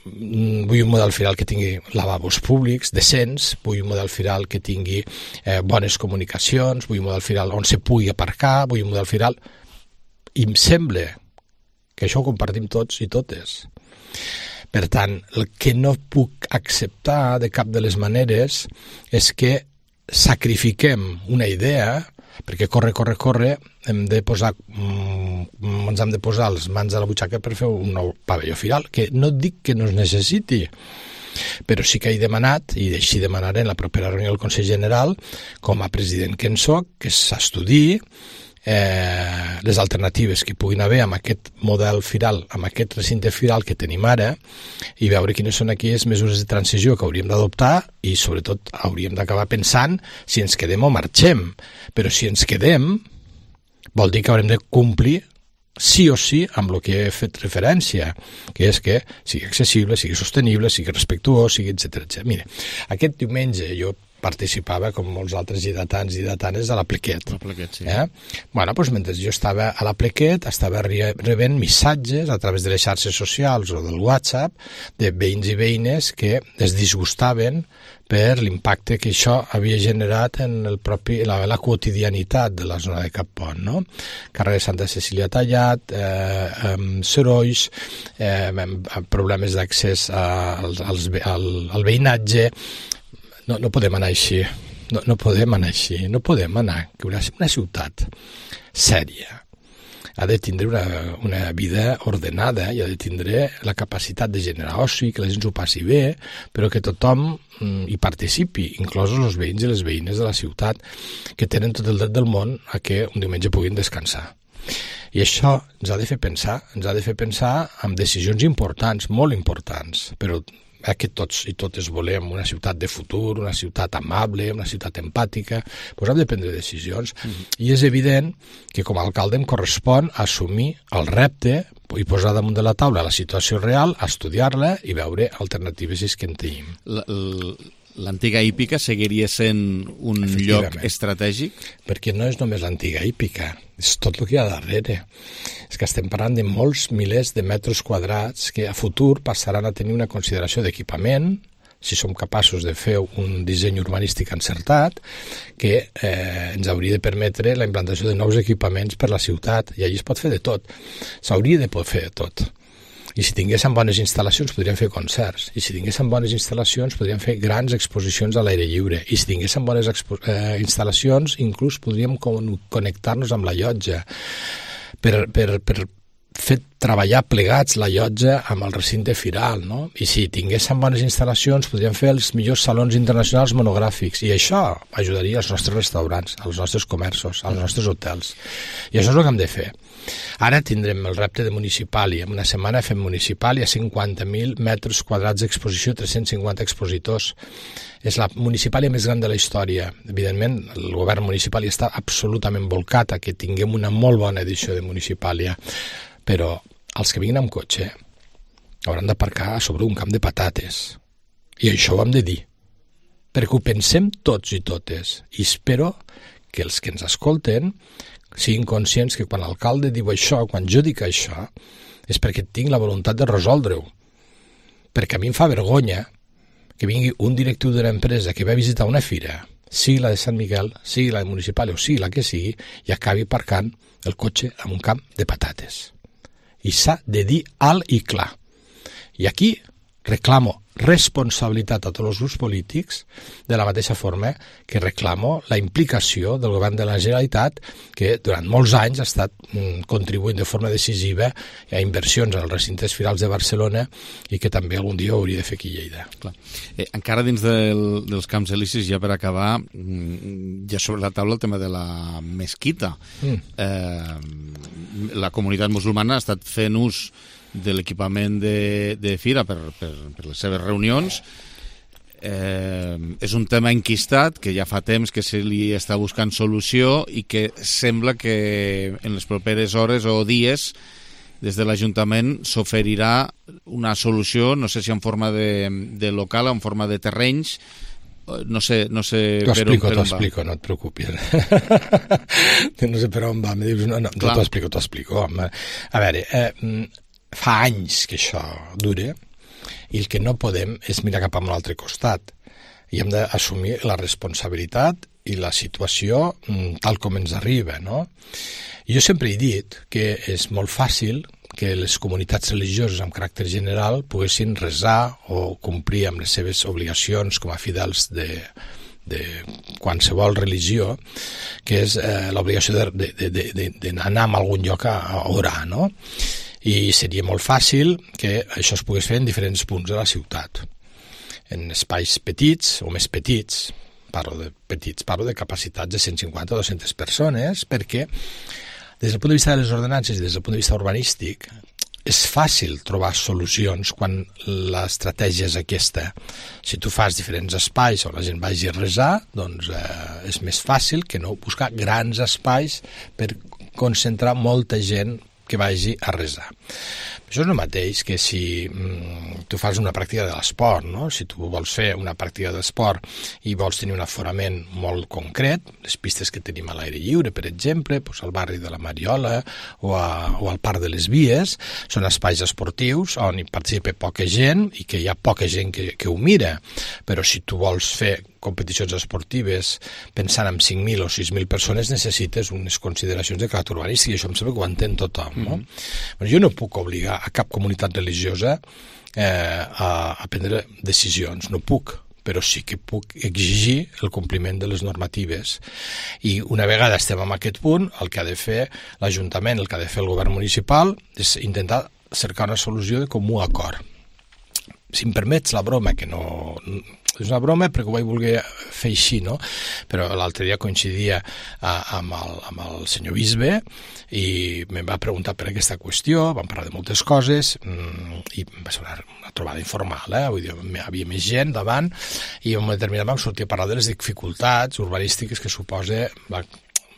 vull un model firal que tingui lavabos públics, decents, vull un model firal que tingui eh, bones comunicacions, vull un model firal on se pugui aparcar, vull un model firal... I em sembla que això ho compartim tots i totes. Per tant, el que no puc acceptar de cap de les maneres és que sacrifiquem una idea, perquè corre, corre, corre, hem de posar, mm, ens hem de posar les mans a la butxaca per fer un nou pavelló firal, que no dic que no es necessiti, però sí que he demanat, i així demanaré en la propera reunió del Consell General, com a president que en soc, que s'estudiï eh, les alternatives que puguin haver amb aquest model firal, amb aquest recinte firal que tenim ara, i veure quines són aquelles mesures de transició que hauríem d'adoptar i, sobretot, hauríem d'acabar pensant si ens quedem o marxem. Però si ens quedem, vol dir que haurem de complir sí o sí amb el que he fet referència, que és que sigui accessible, sigui sostenible, sigui respectuós, sigui etcètera, etcètera. Mira, aquest diumenge jo participava, com molts altres lleidatans i lleidatanes, a l'Apliquet. L'Apliquet, sí. Eh? Bueno, doncs mentre jo estava a l'Apliquet, estava rebent missatges a través de les xarxes socials o del WhatsApp de veïns i veïnes que es disgustaven per l'impacte que això havia generat en el propi, la, la quotidianitat de la zona de Cap Pont, no? Carrer de Santa Cecília tallat, eh, eh, sorolls, eh, problemes d'accés al, als, al, al veïnatge. No, no podem anar així, no, no podem anar així, no podem anar, que una, una ciutat sèria ha de tindre una, una vida ordenada i ha de tindre la capacitat de generar oci, que la gent s'ho passi bé, però que tothom mm, hi participi, inclosos els veïns i les veïnes de la ciutat, que tenen tot el dret del món a que un diumenge puguin descansar. I això ens ha de fer pensar, ens ha de fer pensar en decisions importants, molt importants, però eh, que tots i totes volem una ciutat de futur, una ciutat amable, una ciutat empàtica, doncs hem de prendre decisions. Mm-hmm. I és evident que com a alcalde em correspon assumir el repte i posar damunt de la taula la situació real, estudiar-la i veure alternatives si és que en tenim. L'antiga hípica seguiria sent un lloc estratègic? Perquè no és només l'antiga hípica, és tot el que hi ha darrere. És que estem parlant de molts milers de metres quadrats que a futur passaran a tenir una consideració d'equipament, si som capaços de fer un disseny urbanístic encertat, que eh, ens hauria de permetre la implantació de nous equipaments per la ciutat, i allí es pot fer de tot. S'hauria de poder fer de tot. I si tinguéssim bones instal·lacions podríem fer concerts, i si tinguéssim bones instal·lacions podríem fer grans exposicions a l'aire lliure, i si tinguéssim bones eh, instal·lacions inclús podríem connectar-nos amb la llotja per, per, per fer treballar plegats la llotja amb el recinte firal, no? I si tinguéssim bones instal·lacions podríem fer els millors salons internacionals monogràfics, i això ajudaria als nostres restaurants, als nostres comerços, als nostres hotels, i això és el que hem de fer. Ara tindrem el repte de Municipàlia. En una setmana fem Municipàlia, cinquanta mil metres quadrats d'exposició, tres-cents cinquanta expositors. És la Municipàlia més gran de la història. Evidentment, el govern municipal està absolutament volcat a que tinguem una molt bona edició de Municipàlia. però els que vinguin amb cotxe hauran d'aparcar sobre un camp de patates. I això ho hem de dir, perquè ho pensem tots i totes. I espero que els que ens escolten siguin conscients que quan l'alcalde diu això, quan jo dic això, és perquè tinc la voluntat de resoldre-ho. Perquè a mi em fa vergonya que vingui un directiu d'una empresa que va visitar una fira, sigui la de Sant Miquel, sigui la de Municipal o sigui la que sigui, i acabi aparcant el cotxe en un camp de patates. I s'ha de dir alt i clar. I aquí reclamo responsabilitat a tots els grups polítics de la mateixa forma que reclamo la implicació del govern de la Generalitat, que durant molts anys ha estat mm, contribuint de forma decisiva a inversions als recintes firals de Barcelona i que també algun dia hauria de fer aquí a Lleida. Clar. Eh, encara dins del, dels camps elisis, ja per acabar, ja sobre la taula el tema de la mesquita. Mm. Eh, la comunitat musulmana ha estat fent ús de l'equipament de, de Fira per, per, per les seves reunions. Eh, és un tema enquistat que ja fa temps que se li està buscant solució i que sembla que en les properes hores o dies des de l'Ajuntament s'oferirà una solució, no sé si en forma de, de local o en forma de terrenys. No sé, no sé per on, per on va. T'ho explico, no et preocupis. No sé per on va. Me dius, no, no, t'ho explico, t'ho explico. A veure, eh, fa anys que això dura i el que no podem és mirar cap a un altre costat i hem d'assumir la responsabilitat i la situació tal com ens arriba, no? Jo sempre he dit que és molt fàcil que les comunitats religioses amb caràcter general poguessin resar o complir amb les seves obligacions com a fidels de, de qualsevol religió, que és eh, l'obligació d'anar a algun lloc a, a orar, no? I seria molt fàcil que això es pogués fer en diferents punts de la ciutat, en espais petits o més petits, parlo de petits, parlo de capacitats de cent cinquanta a dues-centes persones, perquè des del punt de vista de les ordenances i des del punt de vista urbanístic és fàcil trobar solucions quan l'estratègia és aquesta. Si tu fas diferents espais on la gent vagi a resar, doncs eh, és més fàcil que no buscar grans espais per concentrar molta gent que vagi a resar. Això és el mateix que si mm, tu fas una pràctica de l'esport, no? Si tu vols fer una pràctica d'esport i vols tenir un aforament molt concret, les pistes que tenim a l'aire lliure, per exemple, doncs al barri de la Mariola o, a, o al Parc de les Vies, són espais esportius on hi participa poca gent i que hi ha poca gent que, que ho mira. Però si tu vols fer competicions esportives pensant en cinc mil o sis mil persones necessites unes consideracions de caràcter urbanístic i això em sembla que ho entén tothom, no? Mm-hmm. Però jo no puc obligar a cap comunitat religiosa eh, a, a prendre decisions, no puc, però sí que puc exigir el compliment de les normatives. I una vegada estem en aquest punt, el que ha de fer l'Ajuntament, el que ha de fer el govern municipal és intentar cercar una solució de comú acord. Si em permets la broma, que no... és una broma perquè ho vaig voler fer així, no? Però l'altre dia coincidia a, amb, el, amb el senyor bisbe i em va preguntar per aquesta qüestió, vam parlar de moltes coses i va ser una, una trobada informal, eh? Vull dir, hi havia més gent davant i en un determinat vam sortir a parlar de les dificultats urbanístiques que suposa la,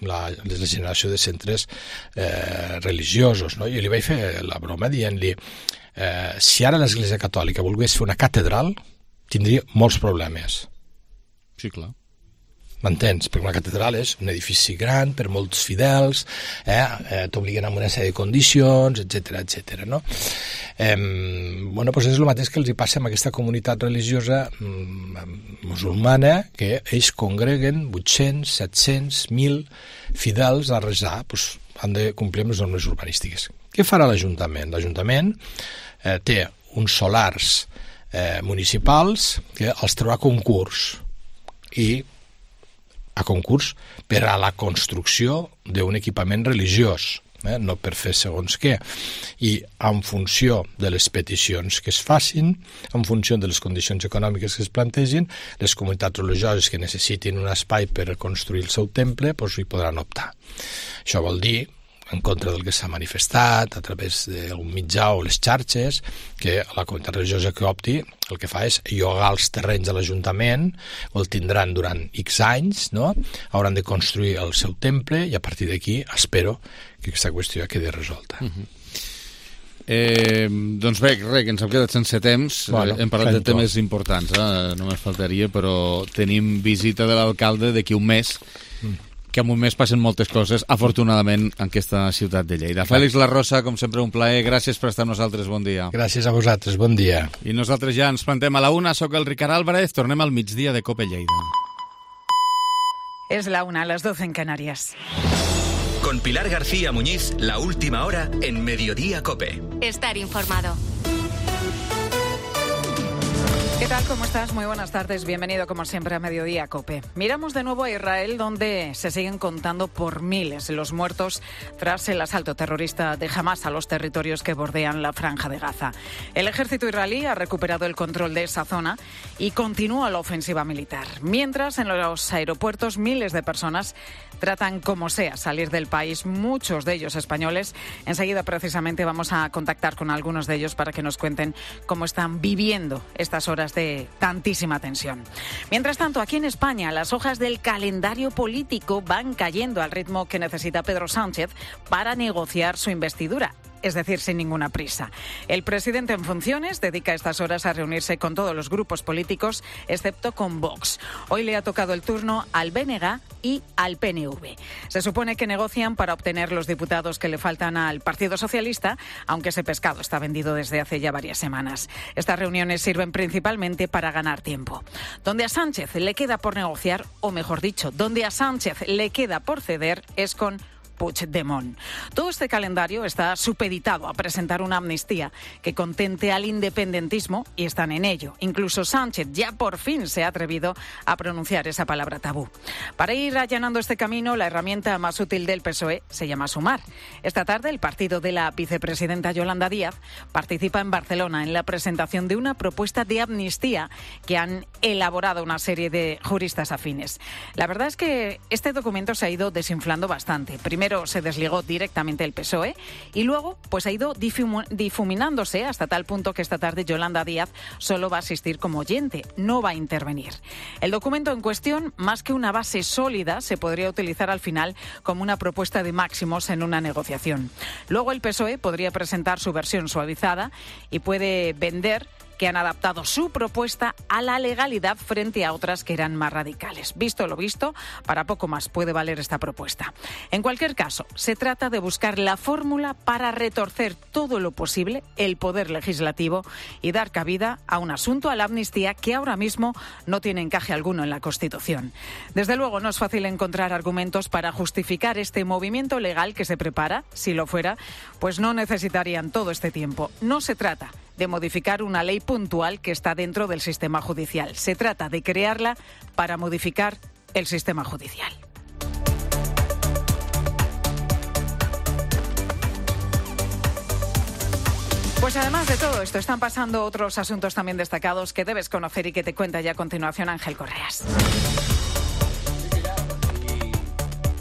la, la generació de centres eh, religiosos, no? Jo li vaig fer la broma dient-li eh, si ara l'Església Catòlica volgués fer una catedral tindria molts problemes. Sí, clar. M'entens? Perquè una catedral és un edifici gran per molts fidels, eh? eh t'obliguen amb una sèrie de condicions, etcètera, etcètera, no? Eh, bueno, doncs és el mateix que els hi passa amb aquesta comunitat religiosa mm, musulmana, que ells congreguen vuit-cents, set-cents, mil fidels a resar, doncs han de complir amb les normes urbanístiques. Què farà l'Ajuntament? L'Ajuntament eh, té uns solars Eh, municipals que els traurà a concurs i a concurs per a la construcció d'un equipament religiós, eh, no per fer segons què, i en funció de les peticions que es facin, en funció de les condicions econòmiques que es plantegin, les comunitats religioses que necessitin un espai per construir el seu temple doncs hi podran optar. Això vol dir, en contra del que s'ha manifestat a través d'un mitjà o les xarxes, que la comunitat religiosa que opti el que fa és llogar els terrenys de l'Ajuntament, o el tindran durant X anys, no? Hauran de construir el seu temple i a partir d'aquí espero que aquesta qüestió quedi resolta. Uh-huh. Eh, doncs bé, res, que ens hem quedat sense temps. Bueno, hem parlat de temes importants, eh? Només faltaria, però tenim visita de l'alcalde d'aquí un mes, mm. que en un mes passen moltes coses, afortunadament, en aquesta ciutat de Lleida. Fèlix Larrosa, com sempre, un plaer. Gràcies per estar amb nosaltres. Bon dia. Gràcies a vosaltres. Bon dia. I nosaltres ja ens plantem a la una. Soc el Ricard Álvarez. Tornem al migdia de COPE Lleida. Es la una, a las doce en Canarias. Con Pilar García Muñiz, la última hora en Mediodía COPE. Estar informado. ¿Qué tal? ¿Cómo estás? Muy buenas tardes. Bienvenido, como siempre, a Mediodía COPE. Miramos de nuevo a Israel, donde se siguen contando por miles los muertos tras el asalto terrorista de Hamás a los territorios que bordean la Franja de Gaza. El ejército israelí ha recuperado el control de esa zona y continúa la ofensiva militar. Mientras, en los aeropuertos, miles de personas tratan como sea salir del país, muchos de ellos españoles. Enseguida, precisamente, vamos a contactar con algunos de ellos para que nos cuenten cómo están viviendo estas horas de tantísima tensión. Mientras tanto, aquí en España, las hojas del calendario político van cayendo al ritmo que necesita Pedro Sánchez para negociar su investidura. Es decir, sin ninguna prisa. El presidente en funciones dedica estas horas a reunirse con todos los grupos políticos, excepto con Vox. Hoy le ha tocado el turno al B N G y al P N V. Se supone que negocian para obtener los diputados que le faltan al Partido Socialista, aunque ese pescado está vendido desde hace ya varias semanas. Estas reuniones sirven principalmente para ganar tiempo. Donde a Sánchez le queda por negociar, o mejor dicho, donde a Sánchez le queda por ceder, es con Puigdemont. Todo este calendario está supeditado a presentar una amnistía que contente al independentismo y están en ello. Incluso Sánchez ya por fin se ha atrevido a pronunciar esa palabra tabú. Para ir allanando este camino, la herramienta más útil del P S O E se llama Sumar. Esta tarde, el partido de la vicepresidenta Yolanda Díaz participa en Barcelona en la presentación de una propuesta de amnistía que han elaborado una serie de juristas afines. La verdad es que este documento se ha ido desinflando bastante. Primero Primero se desligó directamente el P S O E y luego pues ha ido difum- difuminándose hasta tal punto que esta tarde Yolanda Díaz solo va a asistir como oyente, no va a intervenir. El documento en cuestión, más que una base sólida, se podría utilizar al final como una propuesta de máximos en una negociación. Luego el P S O E podría presentar su versión suavizada y puede vender que han adaptado su propuesta a la legalidad frente a otras que eran más radicales. Visto lo visto, para poco más puede valer esta propuesta. En cualquier caso, se trata de buscar la fórmula para retorcer todo lo posible el poder legislativo y dar cabida a un asunto, a la amnistía, que ahora mismo no tiene encaje alguno en la Constitución. Desde luego, no es fácil encontrar argumentos para justificar este movimiento legal que se prepara. Si lo fuera, pues no necesitarían todo este tiempo. No se trata de modificar una ley puntual que está dentro del sistema judicial. Se trata de crearla para modificar el sistema judicial. Pues además de todo esto, están pasando otros asuntos también destacados que debes conocer y que te cuenta ya a continuación Ángel Correas.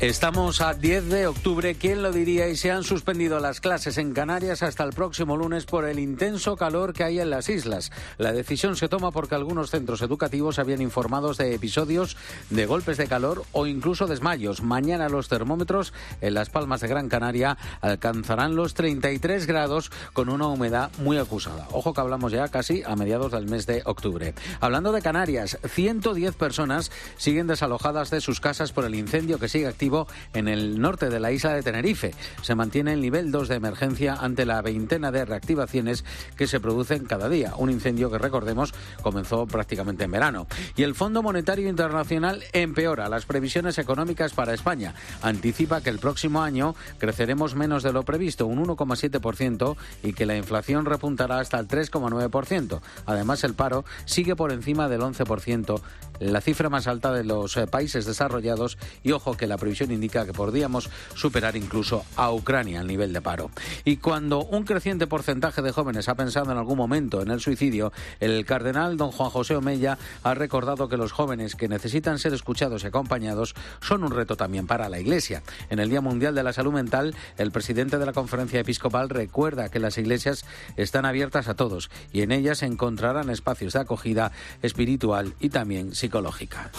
Estamos a diez de octubre, ¿quién lo diría? Y se han suspendido las clases en Canarias hasta el próximo lunes por el intenso calor que hay en las islas. La decisión se toma porque algunos centros educativos habían informado de episodios de golpes de calor o incluso desmayos. Mañana los termómetros en Las Palmas de Gran Canaria alcanzarán los treinta y tres grados con una humedad muy acusada. Ojo que hablamos ya casi a mediados del mes de octubre. Hablando de Canarias, ciento diez personas siguen desalojadas de sus casas por el incendio que sigue activo en el norte de la isla de Tenerife. Se mantiene el nivel dos de emergencia ante la veintena de reactivaciones que se producen cada día. Un incendio que, recordemos, comenzó prácticamente en verano. Y el Fondo Monetario Internacional empeora las previsiones económicas para España. Anticipa que el próximo año creceremos menos de lo previsto, un uno coma siete por ciento, y que la inflación repuntará hasta el tres coma nueve por ciento. Además, el paro sigue por encima del once por ciento, la cifra más alta de los países desarrollados, y ojo que la previsión indica que podríamos superar incluso a Ucrania al nivel de paro. Y cuando un creciente porcentaje de jóvenes ha pensado en algún momento en el suicidio, el cardenal don Juan José Omeya ha recordado que los jóvenes que necesitan ser escuchados y acompañados son un reto también para la Iglesia. En el Día Mundial de la Salud Mental, el presidente de la Conferencia Episcopal recuerda que las iglesias están abiertas a todos y en ellas se encontrarán espacios de acogida espiritual y también psicológica.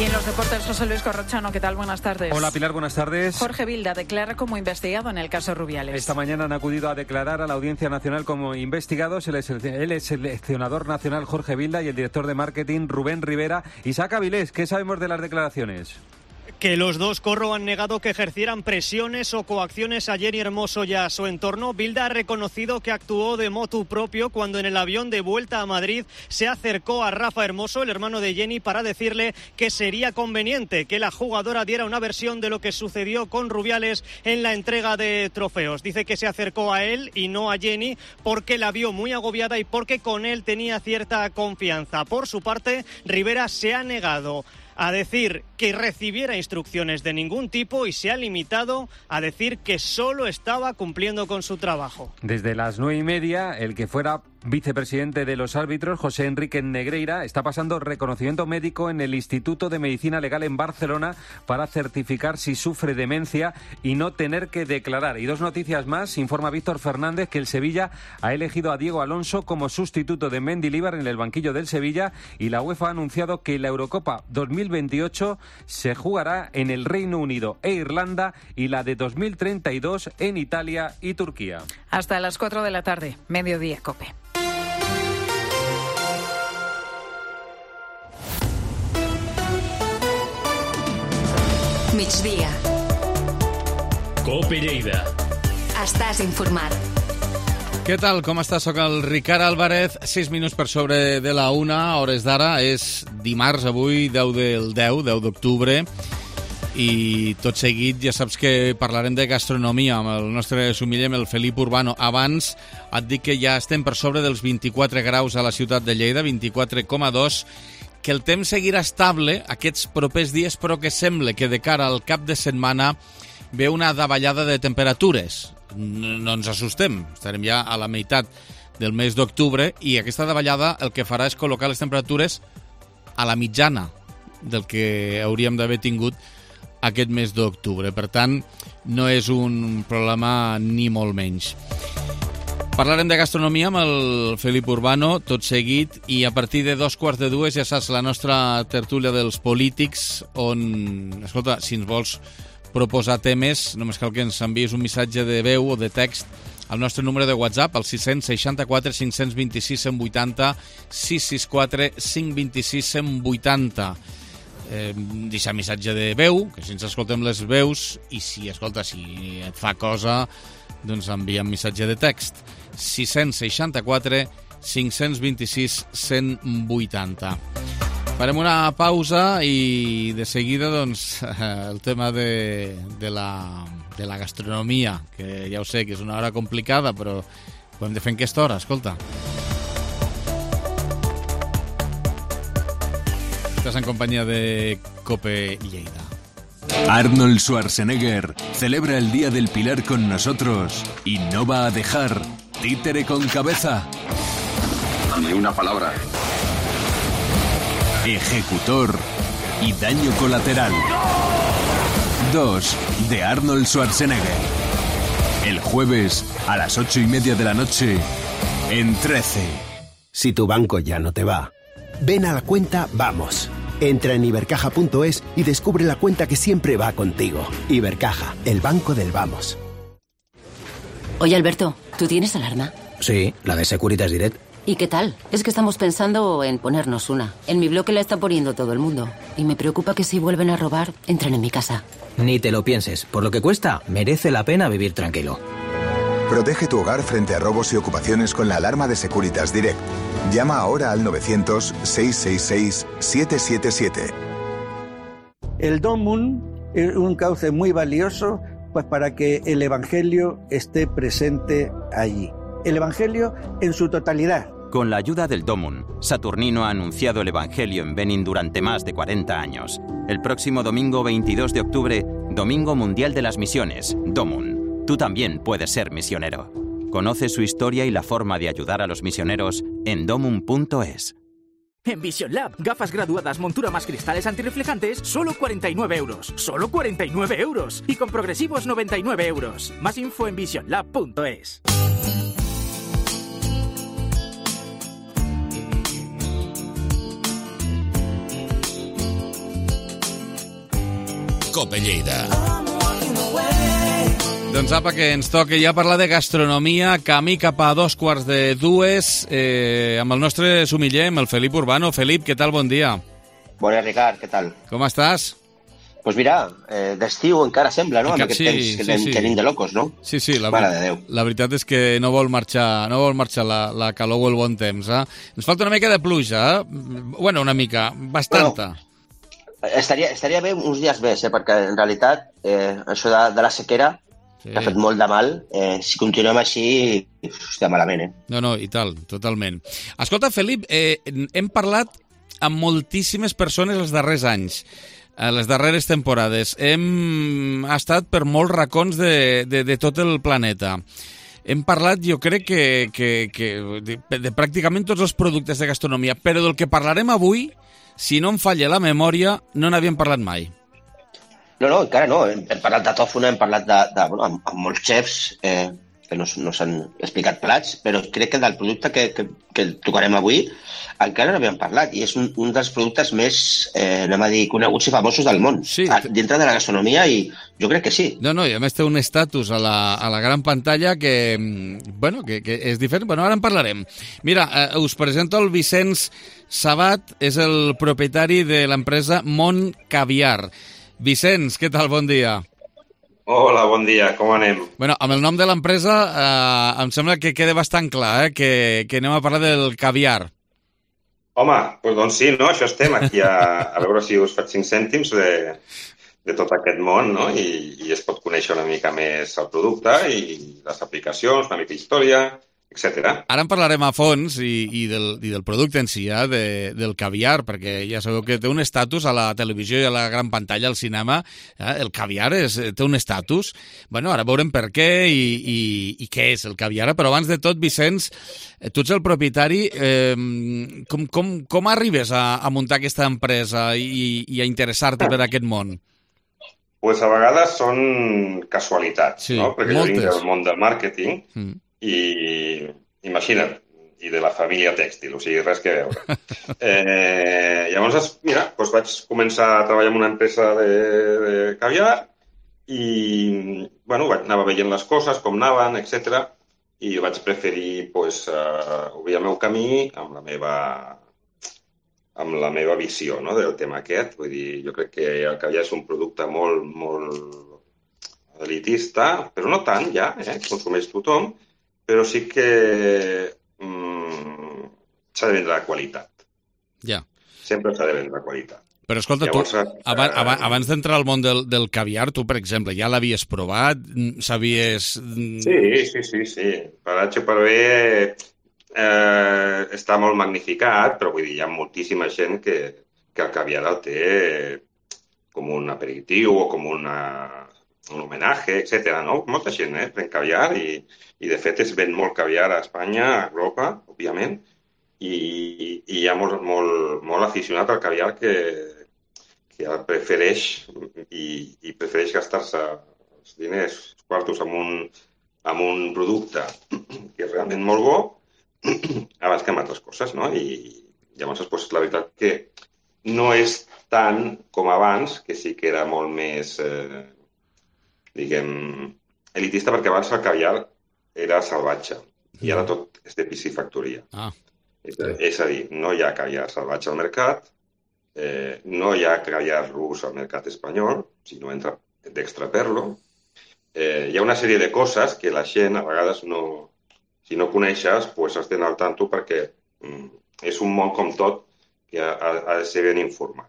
Y en los deportes, José Luis Corrochano, ¿qué tal? Buenas tardes. Hola Pilar, buenas tardes. Jorge Vilda declara como investigado en el caso Rubiales. Esta mañana han acudido a declarar a la Audiencia Nacional como investigados el seleccionador nacional Jorge Vilda y el director de marketing Rubén Rivera. Isaac Avilés, ¿qué sabemos de las declaraciones? Que los dos, Corro, han negado que ejercieran presiones o coacciones a Jenni Hermoso y a su entorno. Vilda ha reconocido que actuó de motu propio cuando en el avión de vuelta a Madrid se acercó a Rafa Hermoso, el hermano de Jenni, para decirle que sería conveniente que la jugadora diera una versión de lo que sucedió con Rubiales en la entrega de trofeos. Dice que se acercó a él y no a Jenni porque la vio muy agobiada y porque con él tenía cierta confianza. Por su parte, Rivera se ha negado a decir que recibiera instrucciones de ningún tipo y se ha limitado a decir que solo estaba cumpliendo con su trabajo. Desde las nueve y media, el que fuera vicepresidente de los árbitros, José Enrique Negreira, está pasando reconocimiento médico en el Instituto de Medicina Legal en Barcelona para certificar si sufre demencia y no tener que declarar. Y dos noticias más. Informa Víctor Fernández que el Sevilla ha elegido a Diego Alonso como sustituto de Mendilibar en el banquillo del Sevilla y la UEFA ha anunciado que la Eurocopa dos mil veintiocho se jugará en el Reino Unido e Irlanda y la de dos mil treinta y dos en Italia y Turquía. Hasta las cuatro de la tarde, mediodía, COPE. Migdia. COPE Lleida. Estàs informat. Què tal? Com estàs? Soc el Ricard Álvarez, sis minuts per sobre de la una, hores d'ara. És dimarts avui, deu del deu, deu d'octubre, i tot seguit ja saps que parlarem de gastronomia amb el nostre sumiller, el Felip Urbano. Abans et dic que ja estem per sobre dels vint-i-quatre graus a la ciutat de Lleida, vint-i-quatre coma dos, que el temps seguirà estable aquests propers dies, però que sembla que de cara al cap de setmana ve una davallada de temperatures. No, no ens assustem, estarem ja a la meitat del mes d'octubre i aquesta davallada el que farà és col·locar les temperatures a la mitjana del que hauríem d'haver tingut aquest mes d'octubre. Per tant, no és un problema ni molt menys. Parlarem de gastronomia amb el Felip Urbano tot seguit i a partir de dos quarts de dues ja saps la nostra tertúlia dels polítics on, escolta, si ens vols proposar temes, només cal que ens envies un missatge de veu o de text al nostre número de WhatsApp, al sis sis quatre, cinc dos sis, cent vuitanta, sis sis quatre, cinc dos sis, cent vuitanta. Eh, deixar missatge de veu, que si ens escoltem les veus, i si, escolta, si et fa cosa, doncs envia un missatge de text. sis sis quatre, cinc dos sis, cent vuitanta. Farem una pausa i de seguida doncs, el tema de, de, la, de la gastronomia, que ja ho sé que és una hora complicada, però ho hem de fer en aquesta hora, escolta. Estás en compañía de COPE Lleida. Arnold Schwarzenegger celebra el Día del Pilar con nosotros y no va a dejar títere con cabeza. Ni una palabra. Ejecutor y daño colateral. Dos de Arnold Schwarzenegger. El jueves a las ocho y media de la noche en trece. Si tu banco ya no te va, ven a la cuenta Vamos. Entra en ibercaja punto es y descubre la cuenta que siempre va contigo. Ibercaja, el banco del Vamos. Oye, Alberto, ¿tú tienes alarma? Sí, la de Securitas Direct. ¿Y qué tal? Es que estamos pensando en ponernos una. En mi bloque la está poniendo todo el mundo. Y me preocupa que si vuelven a robar, entren en mi casa. Ni te lo pienses. Por lo que cuesta, merece la pena vivir tranquilo. Protege tu hogar frente a robos y ocupaciones con la alarma de Securitas Direct. Llama ahora al novecientos, seiscientos sesenta y seis, setecientos setenta y siete. El Domun es un cauce muy valioso pues, para que el Evangelio esté presente allí. El Evangelio en su totalidad. Con la ayuda del Domun, Saturnino ha anunciado el Evangelio en Benin durante más de cuarenta años. El próximo domingo veintidós de octubre, Domingo Mundial de las Misiones, Domun. Tú también puedes ser misionero. Conoce su historia y la forma de ayudar a los misioneros en domun punto es. En Vision Lab, gafas graduadas, montura más cristales antirreflejantes, solo cuarenta y nueve euros. ¡Solo cuarenta y nueve euros! Y con progresivos noventa y nueve euros. Más info en vision lab punto es. COPE Lleida. Doncs apa, que ens toca ja parlar de gastronomia, camí cap a dos quarts de dues, eh, amb el nostre sumiller, amb el Felip Urbano. Felip, què tal? Bon dia. Bon dia, Ricard, què tal? Com estàs? Doncs pues mira, eh, d'estiu encara sembla, no? Encara, amb aquest sí, temps que sí, tenim, sí. tenim de locos, no? Sí, sí, la, Mare de Déu. La veritat és que no vol marxar, no vol marxar la, la calor o el bon temps. Eh? Ens falta una mica de pluja, eh? Bueno, una mica, bastanta. Bueno, estaria, estaria bé uns dies més, eh? Perquè en realitat eh, això de, de la sequera sí. que ha fet molt de mal. Eh, si continuem així, hòstia, malament, eh? No, no, i tal, totalment. Escolta, Felip, eh, hem parlat amb moltíssimes persones els darrers anys, les darreres temporades. Hem estat per molts racons de, de, de tot el planeta. Hem parlat, jo crec, que, que, que de, de pràcticament tots els productes de gastronomia, però del que parlarem avui, si no em falla la memòria, no n'havíem parlat mai. No, no, encara no. Hem, hem parlat de tòfona, hem parlat de, de, bueno, amb, amb molts xefs eh, que no, no s'han explicat plats, però crec que del producte que, que, que tocarem avui encara no havíem parlat, i és un, un dels productes més, eh, anem a dir, coneguts i famosos del món, sí. dintre de la gastronomia, i jo crec que sí. No, no, i a més té un estatus a la, a la gran pantalla que, bueno, que, que és diferent. Bueno, ara en parlarem. Mira, eh, us presento el Vicenç Sabat, és el propietari de l'empresa Mont Caviar. Vicenç, què tal? Bon dia. Hola, bon dia, com anem? Bueno, amb el nom de l'empresa eh, em sembla que queda bastant clar, eh, que, que anem a parlar del caviar. Home, doncs, doncs sí, no? Això estem aquí a, a veure si us faig cinc cèntims de, de tot aquest món, no? I, i es pot conèixer una mica més el producte i les aplicacions, una mica història, etcètera. Ara en parlarem a fons i, i, del, i del producte en si, eh, de, del caviar, perquè ja sabeu que té un estatus a la televisió i a la gran pantalla, al cinema. Eh, el caviar és, té un estatus. Bueno, ara veurem per què i, i, i què és el caviar. Però abans de tot, Vicenç, tu ets el propietari. Eh, com, com, com arribes a, a muntar aquesta empresa i, i a interessar-te per aquest món? Pues a vegades són casualitats, sí, no? Perquè moltes. jo vinc del món del màrqueting, mm. i imagina't, i de la família tèxtil, o sigui, res que veure. Eh, llavors, mira, doncs vaig començar a treballar en una empresa de, de caviar i, bueno, anava veient les coses, com anaven, etcètera, i vaig preferir, doncs, uh, obrir el meu camí amb la meva amb la meva visió, no?, del tema aquest. Vull dir, jo crec que el caviar és un producte molt, molt elitista, però no tant, ja, eh? Consumeix tothom, però sí que mm, s'ha de vendre la qualitat. Ja. Sempre s'ha de vendre la qualitat. Però escolta, Llavors, tu, abans, abans, abans d'entrar al món del, del caviar, tu, per exemple, ja l'havies provat? Sabies... Sí, sí, sí, sí. Per H per B eh, està molt magnificat, però vull dir, hi ha moltíssima gent que, que el caviar el té com un aperitiu o com una... un homenatge, etcètera, no? Molta gent, eh, pren caviar i, i de fet es ven molt caviar a Espanya, a Europa, òbviament, i, i hi ha molt, molt, molt aficionat al caviar que, que el prefereix i, i prefereix gastar-se els diners, els quartos amb un, amb un producte que és realment molt bo abans que amb altres coses, no? I llavors, pues, la veritat que no és tant com abans, que sí que era molt més... Eh, diguem, elitista, perquè abans el caviar era salvatge i ara tot és de piscifactoria. Ah. És, és a dir, no hi ha caviar salvatge al mercat, eh, no hi ha caviar rus al mercat espanyol, si no entra d'extraperlo. Eh, hi ha una sèrie de coses que la gent a vegades no, si no coneixes, pues has d'anar al tanto perquè mm, és un món com tot que ha, ha de ser ben informat.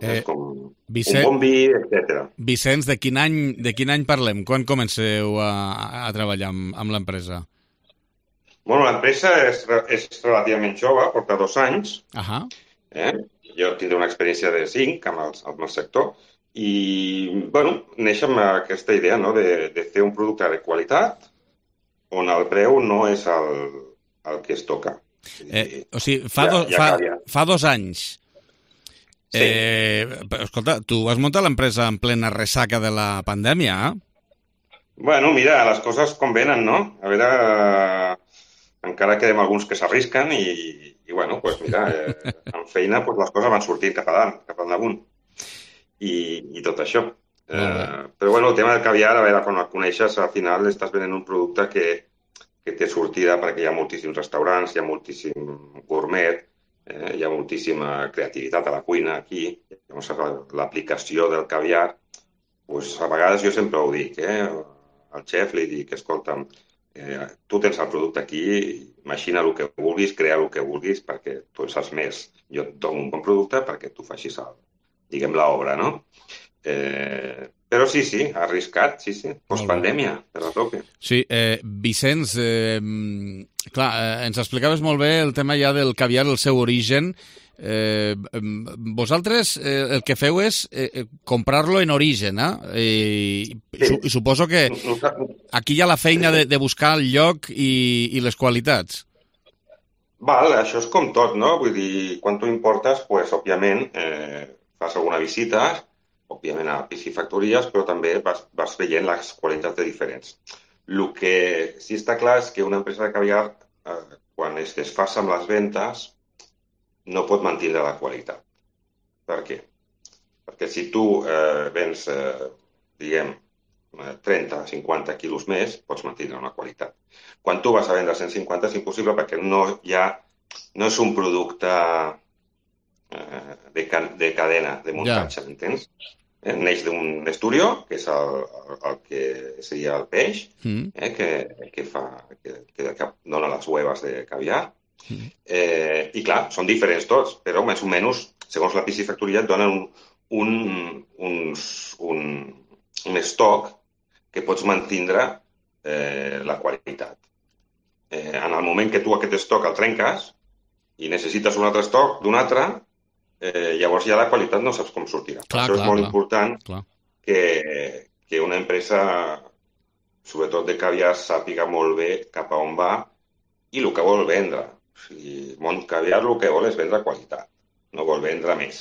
Eh, com Vicent, un bon vi, etcètera. Vicenç, de quin any, de quin any parlem? Quan comenceu a, a treballar amb, amb l'empresa? Bueno, l'empresa és, és relativament jove, porta dos anys. Ahà. Eh? Jo tindré una experiència de cinc amb el, amb el sector i, bueno, neix amb aquesta idea, no?, de, de fer un producte de qualitat on el preu no és el, el que es toca. Eh, o sigui, fa, do, ja, ja fa, fa dos anys... Sí. Eh, escolta, tu vas muntar l'empresa en plena ressaca de la pandèmia, eh? Bueno, mira, les coses com venen, no? A veure, eh, encara quedem alguns que s'arrisquen i, i, bueno, pues mira, eh, amb feina pues les coses van sortir cap a dalt, cap a damunt. I, i tot això. Eh, però bueno, el tema del caviar, a veure, quan el coneixes, al final estàs venent un producte que, que té sortida perquè hi ha moltíssims restaurants, hi ha moltíssim gourmet, eh, hi ha moltíssima creativitat a la cuina aquí. Llavors, l'aplicació del caviar, pues, a vegades jo sempre ho dic, eh? Al xef li dic, escolta'm, eh, tu tens el producte aquí, imagina el que vulguis, crea el que vulguis, perquè tu en saps més. Jo et dono un bon producte perquè tu facis, el, diguem, l'obra, no? Eh, però sí, sí, arriscat, sí, sí, postpandèmia, per la tope. Sí, eh, Vicenç, eh, clar, eh, ens explicaves molt bé el tema ja del caviar, el seu origen. Eh, vosaltres eh, el que feu és eh, comprar-lo en origen, eh? I, sí. I suposo que aquí hi ha la feina de, de buscar el lloc i, i les qualitats. Val, això és com tot, no? Vull dir, quan tu importes, pues, òbviament, eh, fas alguna visita, òbviament a piscifactories, però també vas, vas veient les qualitats de diferents. El que sí està clar és que una empresa de caviar, eh, quan es desfassa amb les ventes, no pot mantenir la qualitat. Per què? Perquè si tu eh, vens, eh, diguem, trenta, cinquanta quilos més, pots mantenir una qualitat. Quan tu vas a vendre cent cinquanta és impossible perquè no, ja, no és un producte eh, de, de cadena, de muntatge, ja. Entens? Eh, neix d'un esturió, que és el, el, el que seria el peix, mm. eh, que, que, fa, que, que dona les huevas de caviar. Mm. Eh, I clar, són diferents tots, però més o menys, segons la piscifactoria, et donen un, un, uns, un, un estoc que pots mantindre eh, la qualitat. Eh, en el moment que tu aquest estoc el trenques i necessites un altre estoc d'un altre, eh, llavors ja la qualitat no saps com sortirà. Clar, Això clar, és molt clar, important clar. Que, que una empresa, sobretot de caviar, sàpiga molt bé cap a on va i el que vol vendre. O sigui, Mont Caviar el que vol és vendre qualitat, no vol vendre més.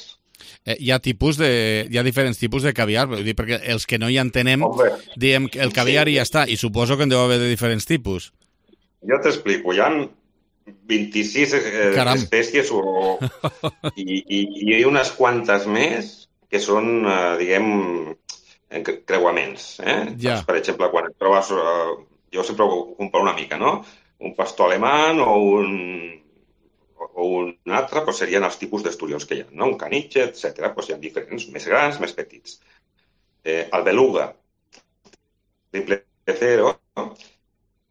Eh, hi ha tipus de, hi ha diferents tipus de caviar, vull dir, perquè els que no hi entenem, Hombre, diem que el caviar sí. i ja està, i suposo que en deu haver de diferents tipus. Jo t'explico, hi ha vint-i-sis eh, espècies o, i, i, i hi ha unes quantes més que són, eh, diguem, creuaments. Eh? Ja. Doncs, per exemple, quan et trobes, eh, jo sempre ho comparo una mica, no? Un pastor alemany o un, o un altre, doncs serien els tipus d'esturions que hi ha, no? Un caniche, etcètera. Doncs hi ha diferents, més grans, més petits. Eh, el beluga, triple cero,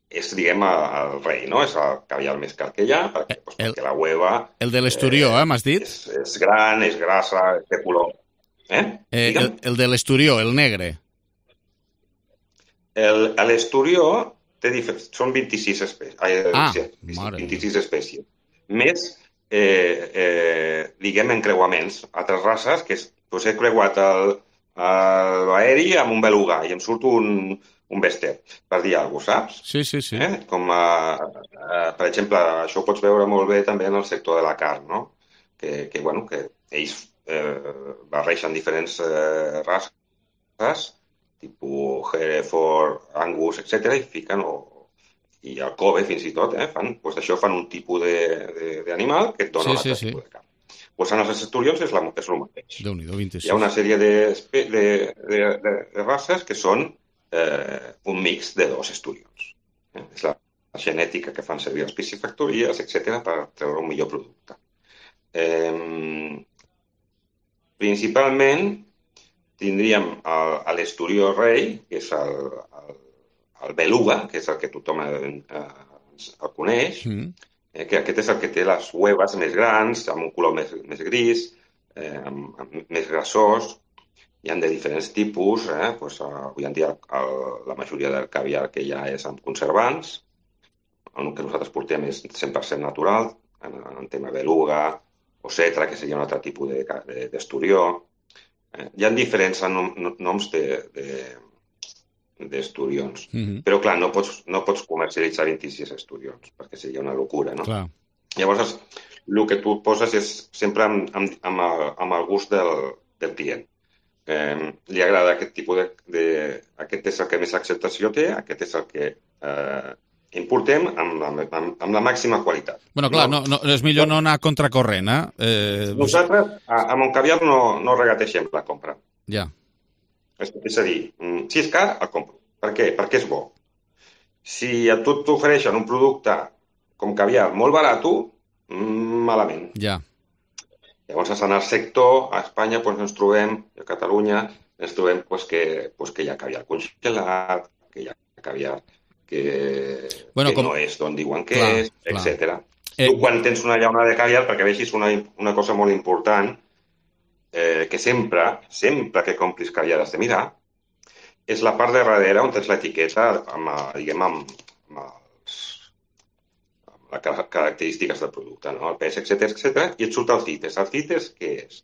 és, diguem, el rei, no? És el caviar més car que hi ha, perquè, doncs, el, perquè la hueva... El de l'esturió, eh, m'has dit? És, és gran, és grassa, és de color. Eh? eh el, el de l'esturió, el negre. L'esturió té diferents... Són vint-i-sis espècies. Ah, sí, vint-i-sis espècies. Més, eh, eh, diguem, encreuaments. Altres races, que és, doncs he creuat el, l'aeri amb un beluga i em surt un, un bèstia, per dir alguna cosa, saps? Sí, sí, sí. Eh? Com, eh, eh, per exemple, això ho pots veure molt bé també en el sector de la carn, no? Que, que, bueno, que ells eh, barreixen diferents eh, races, tipus Hereford, Angus, etcètera, i fiquen, o, i el Kobe fins i tot, eh, fan, doncs d'això fan un tipus d'animal que et dona sí, un altre sí, tipus sí. de carn. Doncs en els esturions és, la, és el mateix. Déu-n'hi-do, vint-i-sis. Hi ha una sèrie de, de, de, de, de races que són eh, un mix de dos esturions. Eh? És la, la genètica que fan servir les piscifactories, etcètera, per treure un millor producte. Eh, principalment, tindríem l'esturió rei, que és el, el, el beluga, que és el que tothom eh, el coneix, mm. eh, que aquest és el que té les huevas més grans, amb un color més, més gris, eh, amb, amb més grassós. Hi ha de diferents tipus. Eh? Pues, uh, avui en dia el, la majoria del caviar que hi ha és amb conservants. El que nosaltres portem és cent per cent natural, en, en tema beluga o cetra, que seria un altre tipus d'esturió. De, de, Eh, hi ha diferents nom, noms d'esturions, de, de, mm-hmm. però clar, no pots, no pots comercialitzar vint-i-sis esturions, perquè seria una locura, no? Clar. Llavors, el que tu poses és sempre amb, amb, amb, el, amb el gust del, del client. Eh, li agrada aquest tipus de, de... Aquest és el que més acceptació té, aquest és el que eh, importem amb, amb, amb, amb la màxima qualitat. Bueno, clar, no, no, és millor no anar a contracorrent, eh? eh Nosaltres, a, a Montcaviar no, no regateixem la compra. Ja. És, és a dir, si és car, el compro. Per què? Perquè és bo. Si a tu t'ofereixen un producte com caviar molt barat, malament. Ja. Llavors, en el sector, a Espanya, doncs, ens trobem, a Catalunya, ens trobem pues, que, pues, que hi ha caviar congelat, que hi ha caviar que, bueno, que com... no és d'on diuen que clar, és, etcètera. Eh... Tu, quan tens una llauna de caviar, perquè vegis una, una cosa molt important, eh, que sempre, sempre que complis caviar has de mirar, és la part de darrere on tens l'etiqueta amb, diguem, amb, amb, els, amb les característiques del producte, no? El pes, etcètera, etcètera, i et surt el CITES. El CITES què és?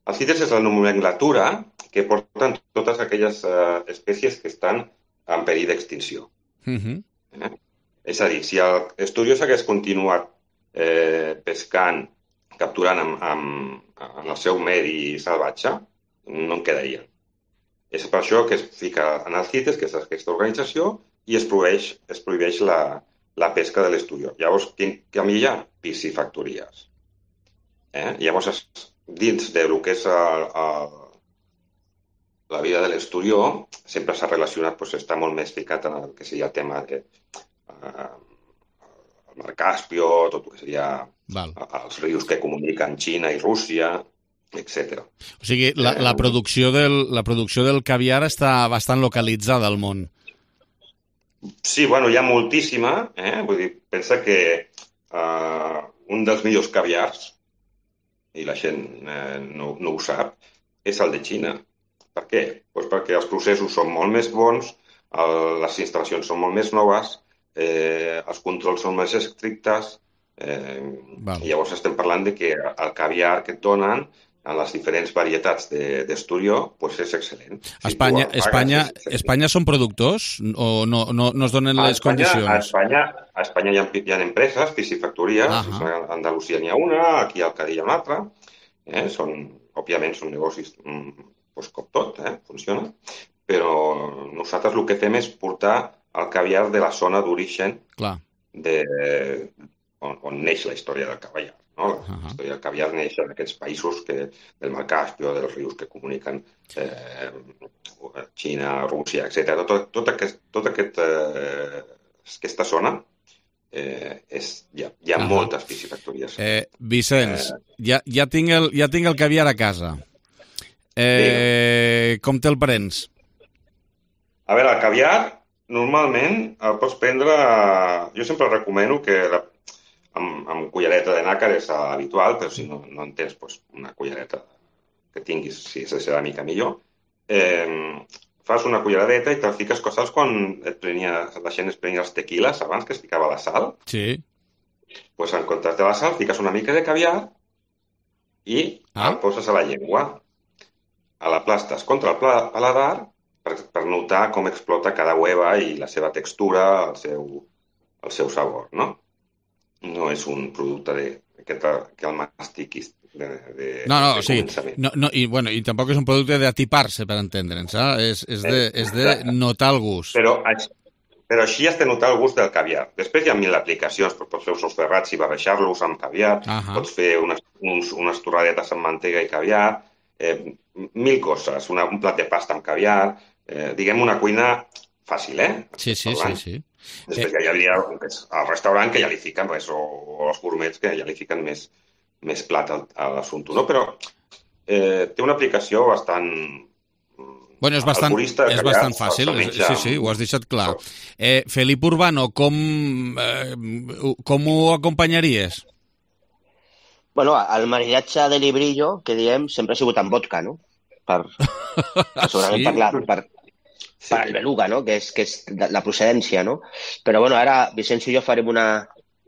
El CITES és la nomenclatura que porten totes aquelles eh, espècies que estan en perill d'extinció. Uh-huh. eh? És a dir, si l'Esturió s'hagués continuat eh, pescant, capturant amb, amb, amb el seu medi salvatge, no en quedarien. És per això que es fica en el CITES, que és aquesta organització, i es prohibeix, es prohibeix la, la pesca de l'Esturió. Llavors, quin camí hi ha? Piscifactories. Eh? Llavors, dins del que és el, el, la vida de l'Esturió, sempre s'ha relacionat, doncs, està molt més ficat en el que seria el tema de eh, el mar Caspio, tot el que seria Val. els rius que comuniquen Xina i Rússia, etcètera. O sigui, la, la, producció del, la producció del caviar està bastant localitzada al món. Sí, bueno, hi ha moltíssima. Eh? Vull dir, pensa que uh, un dels millors caviars, i la gent eh, no, no ho sap, és el de Xina. Per què? Pues perquè els processos són molt més bons, el, les instal·lacions són molt més noves, eh, els controls són més estrictes, eh, i llavors estem parlant de que el caviar que et donen en les diferents varietats d'Esturió, de, pues és excel·lent. A Espanya, si Espanya, Espanya són productors o no, no, no es donen les Espanya, condicions? A Espanya, a Espanya hi ha, hi ha empreses, piscifactories, uh -huh. a Andalusia n'hi ha una, aquí al Cadí hi ha una altra, eh? són, òbviament són negocis pues, com tot, eh? funciona, però nosaltres el que fem és portar el caviar de la zona d'origen on, on neix la història del caviar. No? La uh-huh. història del caviar neix en aquests països que, del mar Caspio, dels rius que comuniquen eh, Xina, Rússia, etcètera. Tot, tot, aquest, tot aquest, eh, aquesta zona eh, és, hi ha, hi ha uh-huh. moltes piscifactories. Eh, Vicenç, eh, ja, ja, tinc el, ja tinc el caviar a casa. Eh, com te'l prens? A veure, el caviar normalment el pots prendre... Jo sempre recomano que la Amb, amb cullereta de nàcar és habitual, però si no, no en tens doncs, una cullereta que tinguis, si és de ceràmica millor, eh, fas una culleradeta i te'l fiques, saps quan et prenia, la gent es prenia els tequiles abans que es ficava la sal? Sí. Doncs pues, en comptes de la sal fiques una mica de caviar i ah. el poses a la llengua. A la plastes contra el paladar per, per notar com explota cada hueva i la seva textura, el seu, el seu sabor, no? No és un producte de, que, que el mastiquis de, de, no, no, de o sigui, no, no, i, bueno, i tampoc és un producte d'atipar-se, per entendre'ns, eh? és, és, de, és de notar el gust. Però, però així has de notar el gust del caviar. Després hi ha mil aplicacions, pots fer uns ferrats i barrejar-los amb caviar, uh-huh. pots fer unes, uns, unes torradetes amb mantega i caviar, eh, mil coses, una, un plat de pasta amb caviar, eh, diguem una cuina fàcil, eh? Sí, sí, sí, sí. Després eh... ja hi hauria al restaurant que ja li fiquen, pues, o, o els gourmets que ja li fiquen més, més plat a l'assumpte, no? Però eh, té una aplicació bastant... Bueno, és bastant, és bastant fàcil, sí, sí, ho has deixat clar. Eh, Felip Urbano, com, eh, com ho acompanyaries? Bueno, el maridatge de librillo, que diem, sempre ha sigut amb vodka, no? Per, per segurament sí. parlar... Per, per el beluga, no? Que és, que és la procedència, no? Però, bueno, ara Vicenç i jo farem una,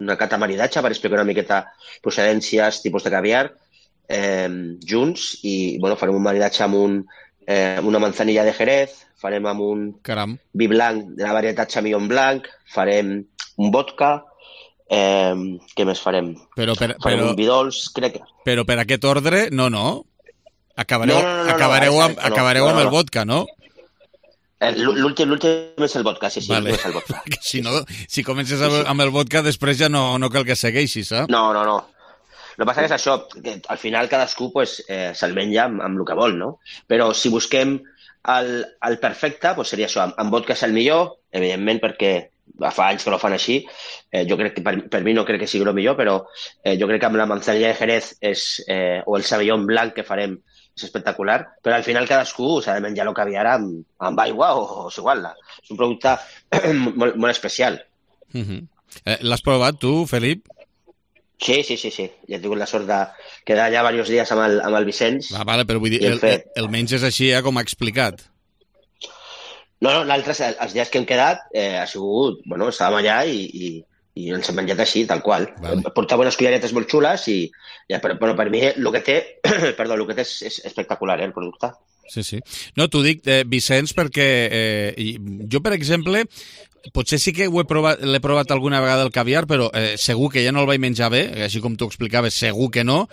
una cata maridatge per explicar una miqueta procedències, tipus de caviar, eh, junts, i, bueno, farem un maridatge amb un, eh, una manzanilla de Jerez, farem amb un Caram. vi blanc de la varietat Chamillon Blanc, farem un vodka, eh, què més farem? Però per, farem però, un vi dolç, crec que... Però per aquest ordre, no, no. Acabareu, no, no, no, acabareu, no, amb, no, acabareu no, no, amb el vodka, no? L'últim, l'últim és el vodka, sí, sí, vale. és el vodka. si, no, si comences sí, sí. amb el vodka, després ja no, no cal que segueixis, eh? No, no, no. El que passa és això, que al final cadascú pues, eh, se'l menja amb, amb el que vol, no? Però si busquem el, el perfecte pues seria això, amb, amb vodka és el millor, evidentment perquè fa anys que no fan així, eh, jo crec que per, per mi no crec que sigui el millor, però eh, jo crec que amb la manzanilla de Jerez és, eh, o el Sauvignon Blanc que farem és espectacular, però al final cadascú s'ha de menjar el caviar amb, amb aigua o, o és igual. És un producte molt, molt especial. Uh-huh. eh, L'has provat tu, Felip? Sí, sí, sí, sí. Ja he tingut la sort de quedar allà diversos dies amb el, amb el Vicenç. Ah, vale, però vull dir, el, el, el menys és així, eh, com ha explicat. No, no, l'altre, els dies que hem quedat, eh, ha sigut, bueno, estàvem allà i, i, i ens hem menjat així, tal qual. Vale. Portava unes culleretes molt xules i, ja, però, però per mi el que té, perdó, el que té és, és espectacular, eh, el producte. Sí, sí. No, t'ho dic, eh, Vicenç, perquè eh, jo, per exemple, potser sí que ho he provat, l'he provat alguna vegada el caviar, però eh, segur que ja no el vaig menjar bé, així com tu explicaves, segur que no,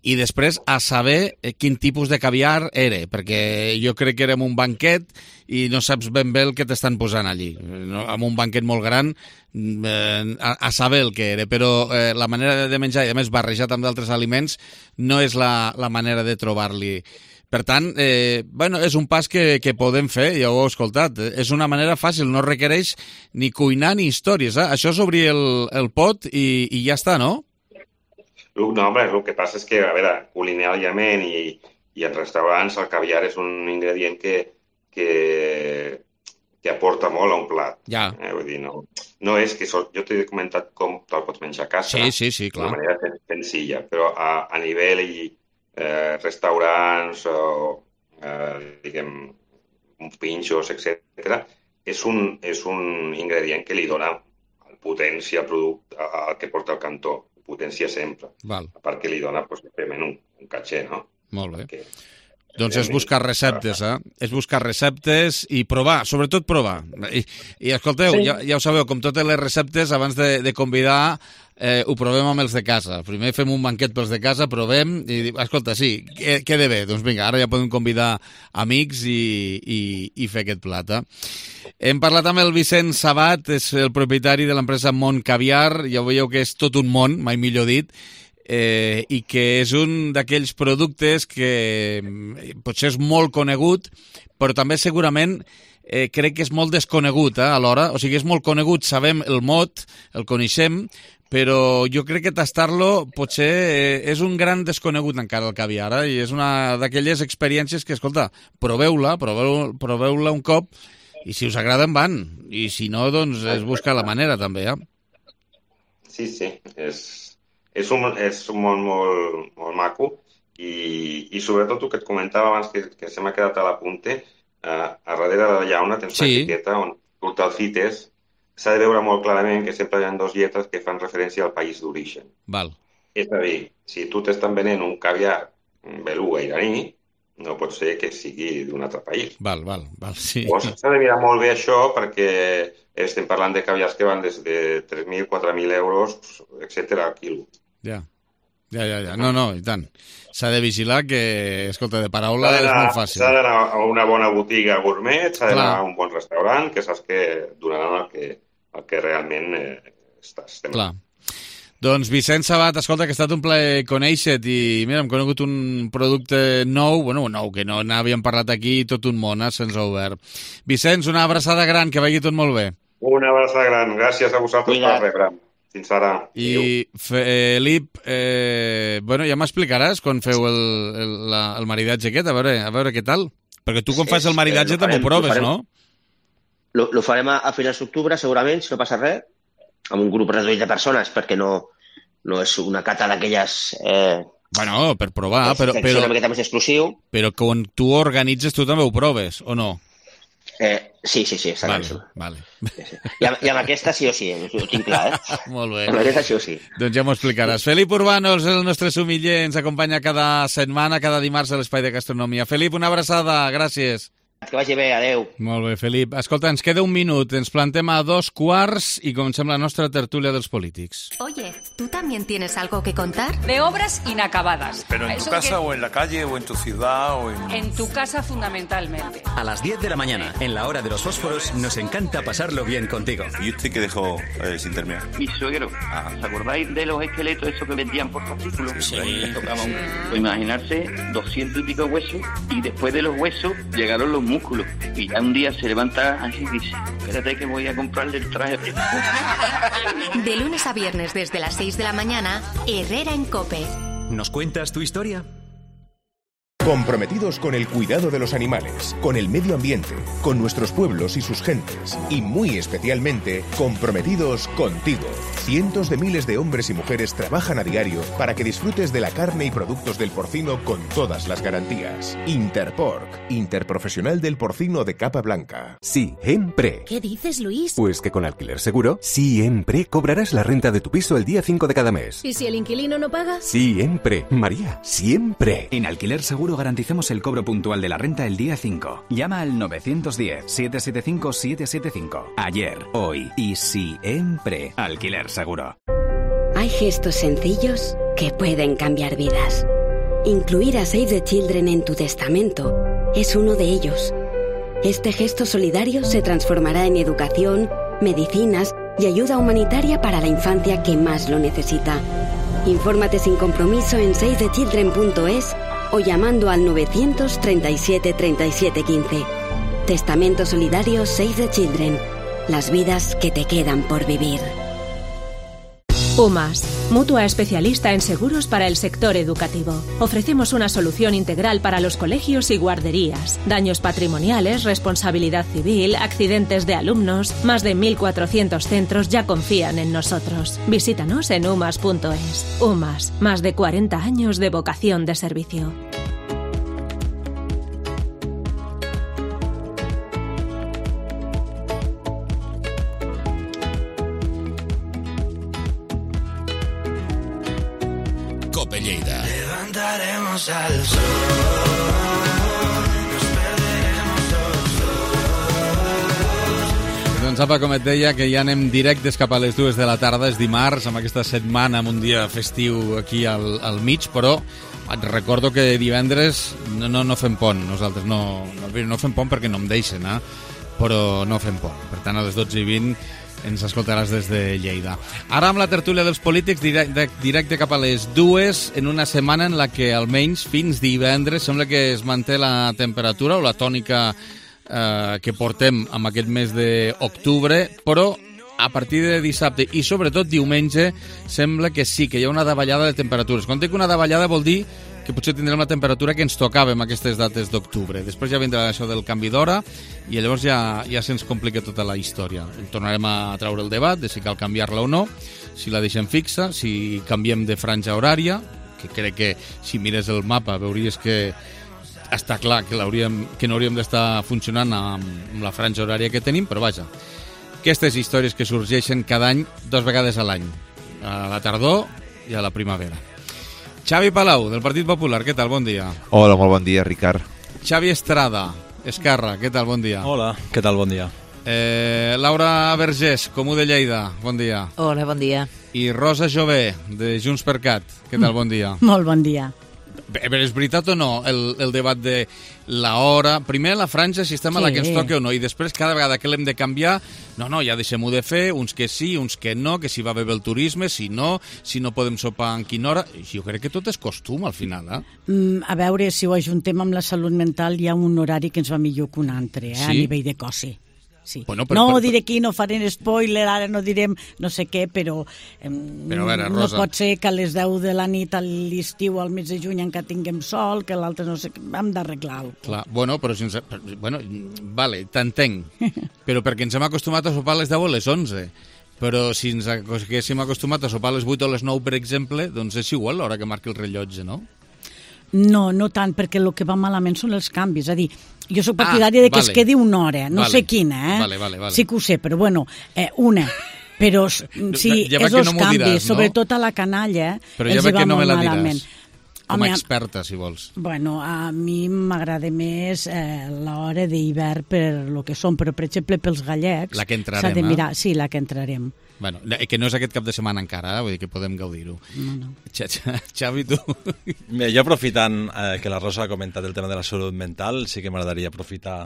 i després a saber quin tipus de caviar era, perquè jo crec que era en un banquet i no saps ben bé el que t'estan posant allí. No? En un banquet molt gran, eh, a, a saber el que era, però eh, la manera de menjar, i a més barrejat amb d'altres aliments, no és la, la manera de trobar-li. Per tant, eh, bueno, és un pas que, que podem fer, ja ho heu escoltat. És una manera fàcil, no requereix ni cuinar ni històries. Eh? Això és obrir el, el pot i, i ja està, no? No, home, el que passa és que, a veure, culinàriament i, i en restaurants el caviar és un ingredient que, que, que aporta molt a un plat. Ja. Eh, vull dir, no, no és que... So, jo t'he comentat com te'l pots menjar a casa. Sí, sí, sí, clar. D'una manera senzilla, però a, a nivell i eh, restaurants o, eh, diguem, uns pinxos, etcètera, és un, és un ingredient que li dona potència al producte, al que porta el cantó. Potència sempre. Val. A part que li dona pues, un, un caché, no? Molt bé. Que, doncs és buscar receptes, eh? És buscar receptes i provar, sobretot provar. I, i escolteu, sí. ja, ja ho sabeu, com totes les receptes, abans de, de convidar, eh, ho provem amb els de casa. Primer fem un banquet pels de casa, provem i dic, escolta, sí, queda bé. Doncs vinga, ara ja podem convidar amics i, i, i fer aquest plat, eh? Hem parlat amb el Vicenç Sabat, és el propietari de l'empresa Mont Caviar, ja veieu que és tot un món, mai millor dit, eh, i que és un d'aquells productes que potser és molt conegut, però també segurament eh, crec que és molt desconegut eh, alhora, o sigui, és molt conegut, sabem el mot, el coneixem, però jo crec que tastar-lo potser eh, és un gran desconegut encara el caviar, eh, i és una d'aquelles experiències que, escolta, proveu-la, proveu, proveu-la un cop, i si us agraden van, i si no, doncs es busca la manera també, eh? Sí, sí, és, és, un, és un món molt, molt maco i, i sobretot el que et comentava abans que, que se m'ha quedat a l'apunte, eh, a darrere de la llauna tens sí. una etiqueta on surt el CITES, s'ha de veure molt clarament que sempre hi ha dues lletres que fan referència al país d'origen. Val. És a dir, si tu t'estan venent un caviar beluga iraní, no pot ser que sigui d'un altre país. Val, val, val, sí. Pues s'ha de mirar molt bé això perquè estem parlant de caviars que van des de tres mil, quatre mil euros, etcètera al quilo. Ja, ja, ja, ja. No, no, i tant. S'ha de vigilar que, escolta, de paraula és molt fàcil. S'ha d'anar a una bona botiga gourmet, s'ha d'anar a un bon restaurant, que saps que donaran el que, el que realment eh, estàs. Clar. Doncs Vicenç Sabat, escolta, que ha estat un plaer conèixer-te i mira, hem conegut un producte nou, bueno, nou, que no n'havíem parlat aquí, tot un món, eh, se'ns ha obert. Vicenç, una abraçada gran, que vagi tot molt bé. Una abraçada gran, gràcies a vosaltres per rebre. Fins ara. I Felip, eh, bueno, ja m'explicaràs quan feu el, el, la, el maridatge aquest, a veure, a veure què tal. Perquè tu quan fas el maridatge també ho proves, no? Lo, lo farem a, a finals d'octubre, segurament, si no passa res, amb un grup reduït de persones, perquè no, no és una cata d'aquelles... Eh, bueno, per provar, però... És una miqueta més exclusiu. Però quan tu organitzes, tu també ho proves, o no? Eh, sí, sí, sí, està vale, claríssim. Vale. Sí, sí. I, amb, I amb aquesta sí o sí, ho tinc clar, eh? Molt bé. Amb aquesta sí o sí. Doncs ja m'ho explicaràs. Felip Urbanos, el nostre sumiller, ens acompanya cada setmana, cada dimarts a l'Espai de Gastronomia. Felip, una abraçada, gràcies. Que vagi bé, adeu. Molt bé, Felip. Escolta, ens queda un minut, ens plantem a dos quarts i comencem la nostra tertúlia dels polítics. Oye, ¿Tú también tienes algo que contar? De obras inacabadas. ¿Pero en tu casa que... o en la calle o en tu ciudad o en...? En tu casa fundamentalmente. A las diez de la mañana, en la hora de los fósforos, nos encanta pasarlo bien contigo. ¿Y usted qué dejó eh, sin terminar? Mi suegro. Ah. ¿Os acordáis de los esqueletos esos que vendían por fascículos? Sí. Que tocaban, pues imaginarse, doscientos y pico huesos, y después de los huesos llegaron los músculos. Y ya un día se levanta así y dice, espérate que voy a comprarle el traje. De lunes a viernes desde las seis de la mañana, Herrera en COPE. ¿Nos cuentas tu historia? Comprometidos con el cuidado de los animales, con el medio ambiente, con nuestros pueblos y sus gentes, y muy especialmente comprometidos contigo. Cientos de miles de hombres y mujeres trabajan a diario para que disfrutes de la carne y productos del porcino con todas las garantías. Interporc, interprofesional del porcino de capa blanca. Siempre. ¿Qué dices, Luis? Pues que con Alquiler Seguro, siempre cobrarás la renta de tu piso el día cinco de cada mes. ¿Y si el inquilino no paga? Siempre, María, siempre. En Alquiler Seguro garantizamos el cobro puntual de la renta el día cinco. Llama al nueve uno cero, siete siete cinco, siete siete cinco. Ayer, hoy y siempre. Alquiler Seguro. Hay gestos sencillos que pueden cambiar vidas. Incluir a Save the Children en tu testamento es uno de ellos. Este gesto solidario se transformará en educación, medicinas y ayuda humanitaria para la infancia que más lo necesita. Infórmate sin compromiso en save the children punto es o llamando al novecientos treinta y siete treinta y siete quince. Testamento solidario Save the Children. Las vidas que te quedan por vivir. UMAS, mutua especialista en seguros para el sector educativo. Ofrecemos una solución integral para los colegios y guarderías. Daños patrimoniales, responsabilidad civil, accidentes de alumnos. Más de mil cuatrocientos centros ya confían en nosotros. Visítanos en umas punto es. UMAS, más de cuarenta años de vocación de servicio. COPE Lleida. Levantaremos al sol. Doncs apa, com et deia, que ja anem directes cap a les dues de la tarda, és dimarts, amb aquesta setmana, amb un dia festiu aquí al, al mig, però et recordo que divendres no, no, no fem pont, nosaltres no, no, no fem pont perquè no em deixen, eh? Però no fem pont. Per tant, a les dotze i vint ens escoltaràs des de Lleida. Ara amb la tertúlia dels polítics, directe, directe cap a les dues, en una setmana en la que almenys fins divendres sembla que es manté la temperatura o la tònica eh, que portem amb aquest mes d'octubre, però a partir de dissabte i sobretot diumenge sembla que sí, que hi ha una davallada de temperatures. Quan dic una davallada vol dir que potser tindrem la temperatura que ens tocava en aquestes dates d'octubre. Després ja vindrà això del canvi d'hora i llavors ja, ja se'ns complica tota la història. Tornarem a treure el debat de si cal canviar-la o no, si la deixem fixa, si canviem de franja horària, que crec que si mires el mapa veuries que està clar que, que no hauríem d'estar funcionant amb, amb la franja horària que tenim, però vaja, aquestes històries que sorgeixen cada any, dos vegades a l'any, a la tardor i a la primavera. Xavi Palau, del Partit Popular, què tal? Bon dia. Hola, molt bon dia, Ricard. Xavi Estrada, Esquerra, què tal? Bon dia. Hola, què tal? Bon dia. Eh, Laura Vergés, Comú de Lleida, bon dia. Hola, bon dia. I Rosa Jové, de Junts per Cat, què tal? Bon dia. Molt bon dia. Però és veritat o no el, el debat de la hora? Primer la franja, si estem sí. a la que ens toca o no, i després cada vegada que l'hem de canviar, no, no, ja deixem-ho de fer, uns que sí, uns que no, que si va bé el turisme, si no, si no podem sopar en quina hora. Jo crec que tot és costum al final, eh? Mm, a veure, si ho ajuntem amb la salut mental, hi ha un horari que ens va millor que un altre, eh? Sí? A nivell de cosi. Sí. Bueno, però, no però, diré aquí, no farem spoiler, ara no direm no sé què, però, eh, però veure, no Rosa, pot ser que a les deu de la nit a l'estiu al mes de juny encara tinguem sol, que l'altre no sé què, hem d'arreglar-ho. Clar, bueno, però si ens, bueno, vale, t'entenc, però perquè ens hem acostumat a sopar a les deu o a les onze. Però si ens haguéssim acostumat a sopar a les vuit o a les nou, per exemple, doncs és igual l'hora que marqui el rellotge, no? No, no tant, perquè el que va malament són els canvis. És a dir, jo soc partidària ah, de que vale. es quedi una hora, no vale. sé quina, eh? Vale, vale, vale. Sí que ho sé, però bueno, eh, una. Però sí, ja és els no canvis, diràs, no? Sobretot a la canalla, però ja els va no molt malament. Com a experta, si vols. Bueno, a mi m'agrada més eh, l'hora d'hivern per lo que són, però, per exemple, pels gallecs... La que entrarem, s'ha de mirar, eh? Sí, la que entrarem. Bueno, que no és aquest cap de setmana encara, eh? Vull dir que podem gaudir-ho. No, no. Xavi, tu? Bé, jo aprofitant eh, que la Rosa ha comentat el tema de la salut mental, sí que m'agradaria aprofitar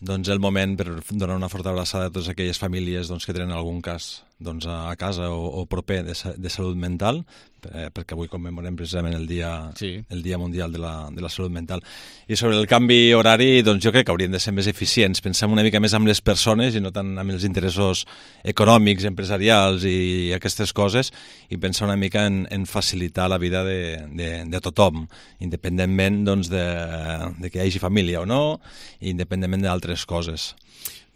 doncs, el moment per donar una forta abraçada a totes aquelles famílies doncs, que tenen algun cas doncs, a casa o, o proper de, de salut mental, eh, perquè avui commemorem precisament el dia, sí. el dia Mundial de la, de la Salut Mental. I sobre el canvi horari, doncs, jo crec que hauríem de ser més eficients, pensem una mica més amb les persones i no tant amb els interessos econòmics, empresarials i aquestes coses, i pensar una mica en, en facilitar la vida de, de, de tothom, independentment doncs, de, de que hi hagi família o no, i independentment d'altres coses.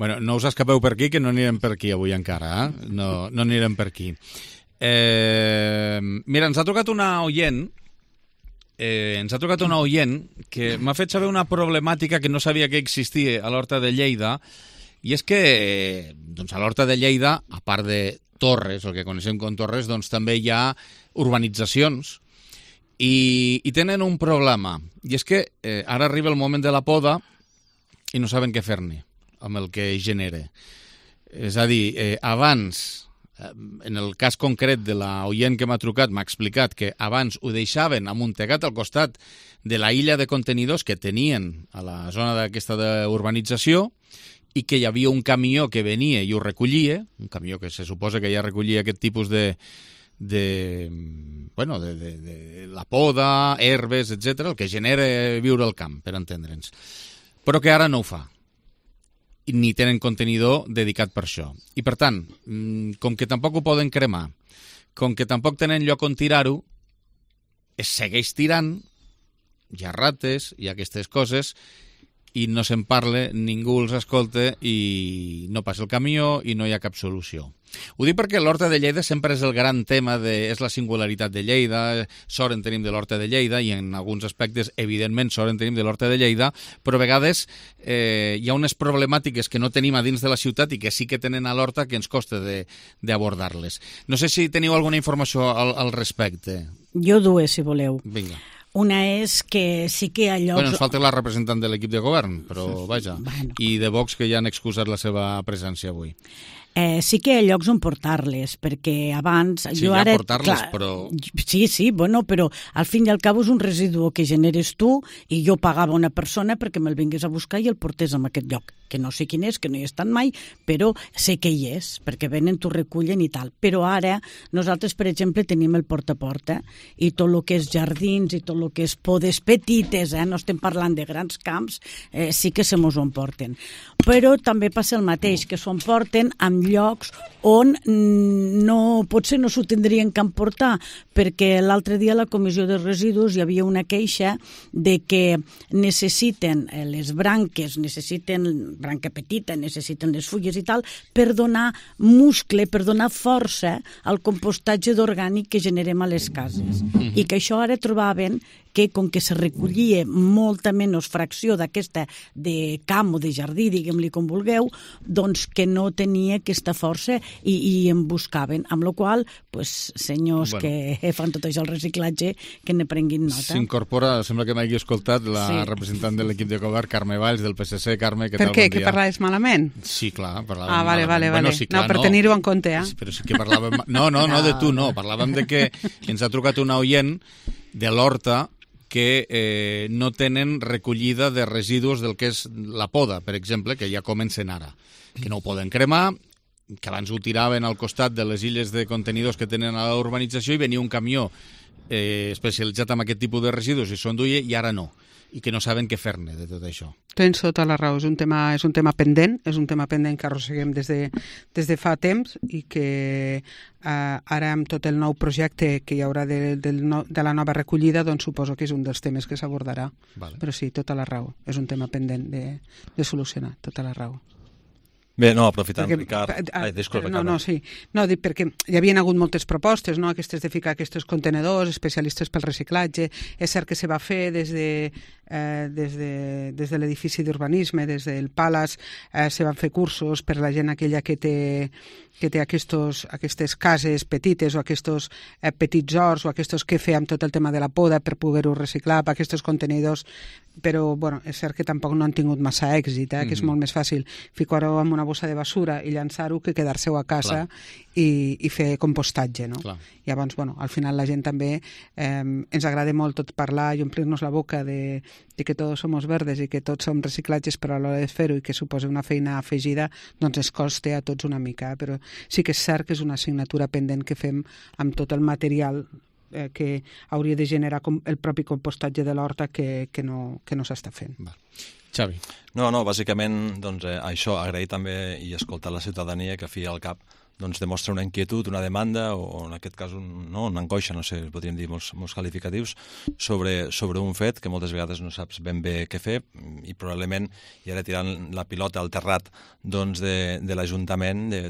Bueno, no us escapeu per aquí, que no anirem per aquí avui encara, eh? No, no anirem per aquí. Eh, mira, ens ha trucat una oient, eh, ens ha trucat una oient que m'ha fet saber una problemàtica que no sabia que existia a l'Horta de Lleida, i és que eh, doncs a l'Horta de Lleida, a part de torres, el que coneixem com torres, doncs també hi ha urbanitzacions, i, i tenen un problema, i és que eh, ara arriba el moment de la poda i no saben què fer-ne amb el que genera. És a dir, eh, abans, eh, en el cas concret de la oient que m'ha trucat, m'ha explicat que abans ho deixaven amuntegat al costat de la illa de contenidors que tenien a la zona d'aquesta d'urbanització i que hi havia un camió que venia i ho recollia, un camió que se suposa que ja recollia aquest tipus de, de, bueno, de, de, de la poda, herbes, etcètera, el que genera viure al camp, per entendre'ns. Però que ara no ho fa. Ni tenen contenidor dedicat per això. I, per tant, com que tampoc ho poden cremar, com que tampoc tenen lloc on tirar-ho, es segueix tirant, hi ha rates, hi ha aquestes coses, i no se'n parla, ningú els escolta i no passa el camió i no hi ha cap solució. Ho dic perquè l'Horta de Lleida sempre és el gran tema, de, és la singularitat de Lleida, sort en tenim de l'Horta de Lleida i en alguns aspectes, evidentment, sort en tenim de l'Horta de Lleida, però a vegades eh, hi ha unes problemàtiques que no tenim a dins de la ciutat i que sí que tenen a l'Horta que ens costa d'abordar-les. No sé si teniu alguna informació al, al respecte. Jo dues, si voleu. Vinga. Una és que sí que hi ha llocs... Bueno, ens falta la representant de l'equip de govern, però vaja. Bueno. I de Vox, que ja han excusat la seva presència avui. Eh, sí que hi ha llocs on portar-les, perquè abans... Sí, jo ja ara, portar-les, clar, però... Sí, sí, bueno, però al fin i al cap és un residu que generes tu i jo pagava una persona perquè me'l vingués a buscar i el portés en aquest lloc, que no sé quin és, que no hi he estat mai, però sé que hi és, perquè venen, t'ho recullen i tal. Però ara nosaltres, per exemple, tenim el porta a porta i tot el que és jardins i tot el que és podes petites, eh, no estem parlant de grans camps, eh, sí que se mos ho emporten. Però també passa el mateix, que s'ho emporten amb llocs on no, potser no s'ho tindrien que emportar, perquè l'altre dia a la Comissió de Residus hi havia una queixa de que necessiten les branques, necessiten branca petita, necessiten les fulles i tal, per donar muscle, per donar força al compostatge d'orgànic que generem a les cases. Mm-hmm. I que això ara trobaven que com que se recollia molta menys fracció d'aquesta de camp o de jardí, diguem-li com vulgueu, doncs que no tenia aquesta força i, i en buscaven, amb la qual pues, senyors bueno. que fan tot això el reciclatge, que ne prenguin nota. S'incorpora, sembla que m'hagi escoltat, la sí. representant de l'equip de govern, Carme Valls, del P S C. Carme, què per tal? què? Bon dia. Que parlaves malament? Sí, clar, parlàvem ah, vale, malament. Vale, vale. Bueno, sí, clar, no, per no. tenir-ho en compte, eh? Sí, però sí que parlàvem... No, no, no de tu, no. Parlàvem de que ens ha trucat una oient de l'Horta que eh, no tenen recollida de residus del que és la poda, per exemple, que ja comencen ara, que no ho poden cremar, que abans ho tiraven al costat de les illes de contenidors que tenen a la urbanització i venia un camió eh, especialitzat en aquest tipus de residus i s'ho enduia i ara no, i que no saben què fer-ne de tot això. Tens tota la raó, és un tema, és un tema pendent, és un tema pendent que arrosseguem des de, des de fa temps i que eh, ara amb tot el nou projecte que hi haurà de, de, de la nova recollida, doncs suposo que és un dels temes que s'abordarà. Vale. Però sí, tota la raó, és un tema pendent de, de solucionar, tota la raó. Bé, no, aprofitant, perquè, Ricard... Ai, disculpa, no, no, sí. No, dic perquè hi havia hagut moltes propostes, no?, aquestes de ficar aquests contenedors, especialistes pel reciclatge. És cert que se va fer des de, eh, des de, des de l'edifici d'urbanisme, des del Palace, eh, se van fer cursos per la gent aquella que té, que té aquestos, aquestes cases petites o aquests eh, petits horts o aquests que feien tot el tema de la poda per poder-ho reciclar, per aquests contenidors, però bueno, és cert que tampoc no han tingut massa èxit, eh, que és molt més fàcil ficar-ho en una bossa de basura i llançar-ho que quedar-se-ho a casa i, i fer compostatge, no? Clar. Llavors, bueno, al final la gent també eh, ens agrada molt tot parlar i omplir-nos la boca de, de que tots som verdes i que tots som reciclatges, però a l'hora de fer-ho i que suposa una feina afegida, doncs es costa a tots una mica, però sí que és cert que és una assignatura pendent que fem amb tot el material eh, que hauria de generar com el propi compostatge de l'horta que, que no, que no s'està fent. Va. Xavi. No, no, bàsicament doncs, eh, això, agrair també i escoltar la ciutadania que fi al cap doncs, demostra una inquietud, una demanda o en aquest cas un, no, una angoixa, no sé, podríem dir molts, molts qualificatius sobre, sobre un fet que moltes vegades no saps ben bé què fer i probablement, i ara tirant la pilota al terrat doncs, de, de l'Ajuntament, de,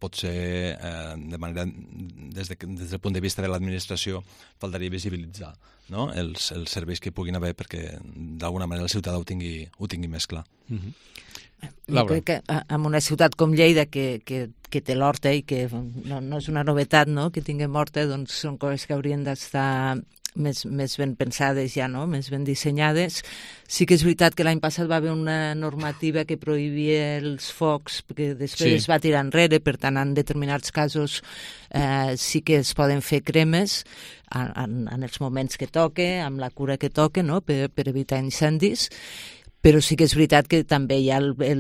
pot ser eh, de manera, des, de, des del punt de vista de l'administració, faltaria visibilitzar, no?, els, els serveis que puguin haver perquè d'alguna manera el ciutadà ho tingui, ho tingui més clar. Mm-hmm. Jo crec que en una ciutat com Lleida, que, que, que té l'horta i que no, no és una novetat, no?, que tinguem horta, doncs són coses que haurien d'estar més, més ben pensades ja, no?, més ben dissenyades. Sí que és veritat que l'any passat va haver una normativa que prohibia els focs, que després sí. es va tirar enrere, per tant, en determinats casos eh, sí que es poden fer cremes en, en els moments que toque, amb la cura que toque, no?, per, per evitar incendis. Però sí que és veritat que també hi ha el, el,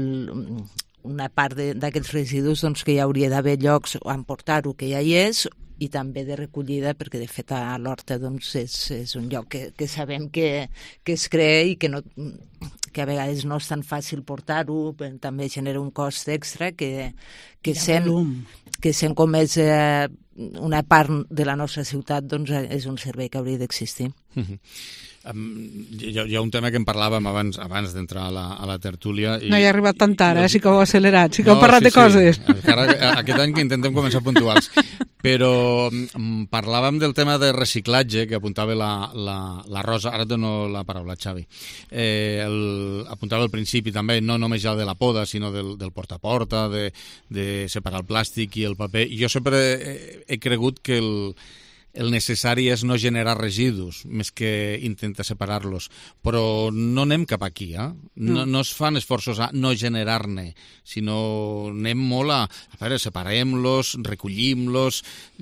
una part d'aquests residus doncs, que hi hauria d'haver llocs on portar-ho, que ja hi és, i també de recollida, perquè de fet a l'horta doncs, és, és un lloc que, que sabem que, que es crea i que, no, que a vegades no és tan fàcil portar-ho, també genera un cost extra que, que, sent, que sent com és eh, una part de la nostra ciutat, doncs és un servei que hauria d'existir. Mm-hmm. Um, hi, ha, hi ha un tema que en parlàvem abans abans d'entrar a, la, a la tertúlia i, no hi ha arribat tant tard, eh? Sí que ho heu accelerat, sí que no, heu parlat sí, de coses sí. Encara, aquest any que intentem començar puntuals, però um, parlàvem del tema de reciclatge que apuntava la, la, la Rosa, ara et dono la paraula, Xavi. eh, el, apuntava al principi també, no només ja de la poda sinó del, del porta a porta, de, de separar el plàstic i el paper. Jo sempre he, he cregut que el el necessari és no generar residus, més que intentar separar-los. Però no anem cap aquí, eh? No, no es fan esforços a no generar-ne, sinó anem molt a, a veure, separem-los, recollim-los,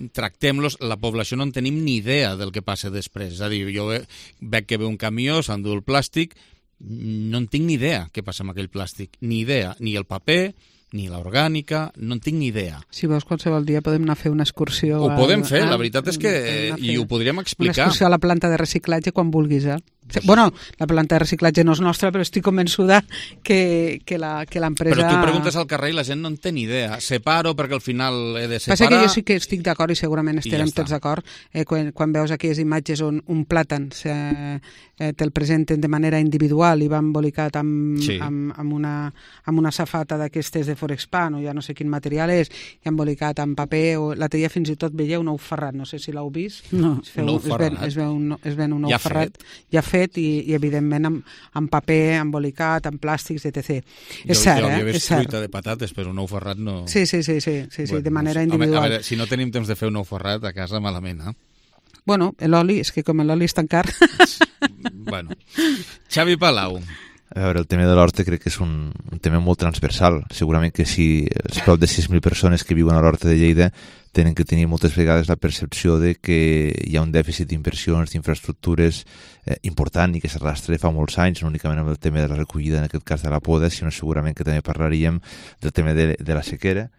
tractem-los. La població no en tenim ni idea del que passa després. És a dir, jo veig que ve un camió, s'endú el plàstic, no en tinc ni idea què passa amb aquell plàstic. Ni idea, ni el paper, ni l'orgànica, no en tinc ni idea. Si vols, qualsevol dia podem anar a fer una excursió... Ho podem fer, la veritat és que... I ho podríem explicar. Una excursió a la planta de reciclatge quan vulguis, eh? Bueno, la planta de reciclatge no és nostra, però estic convençuda que, que l'empresa... Però tu preguntes al carrer i la gent no en té ni idea. Separo perquè al final he de separar... Passa que jo sí que estic d'acord i segurament estarem ja tots d'acord eh, quan, quan veus aquelles imatges on un plàtan eh, te'l presenten de manera individual i va embolicat amb, sí. amb, amb, una, amb una safata d'aquestes de Forexpan o ja no sé quin material és, i embolicat amb paper, o l'altre dia fins i tot veieu un ou ferrat, no sé si l'heu vist. No, es, feu, un ou es, ven, es, ven un, es ven un ou ja ferrat fet. ja fet i, i evidentment amb, amb paper, embolicat, amb plàstics, etcètera. Jo, és cert, jo havia eh? vist fruita de patates, però un ou ferrat no... Sí, sí, sí, sí, sí, sí bueno, de manera no sé. individual. Home, a veure, si no tenim temps de fer un ou ferrat a casa, malament, eh? Bueno, l'oli, és que com l'oli és tan car... Bueno. Xavi Palau. A veure, el tema de l'horta crec que és un, un tema molt transversal. Segurament que si els prop de sis mil persones que viuen a l'horta de Lleida tenen que tenir moltes vegades la percepció de que hi ha un dèficit d'inversions, d'infraestructures eh, important i que s'arrastra fa molts anys, no únicament amb el tema de la recollida, en aquest cas de la poda, sinó segurament que també parlaríem del tema de, de la sequera,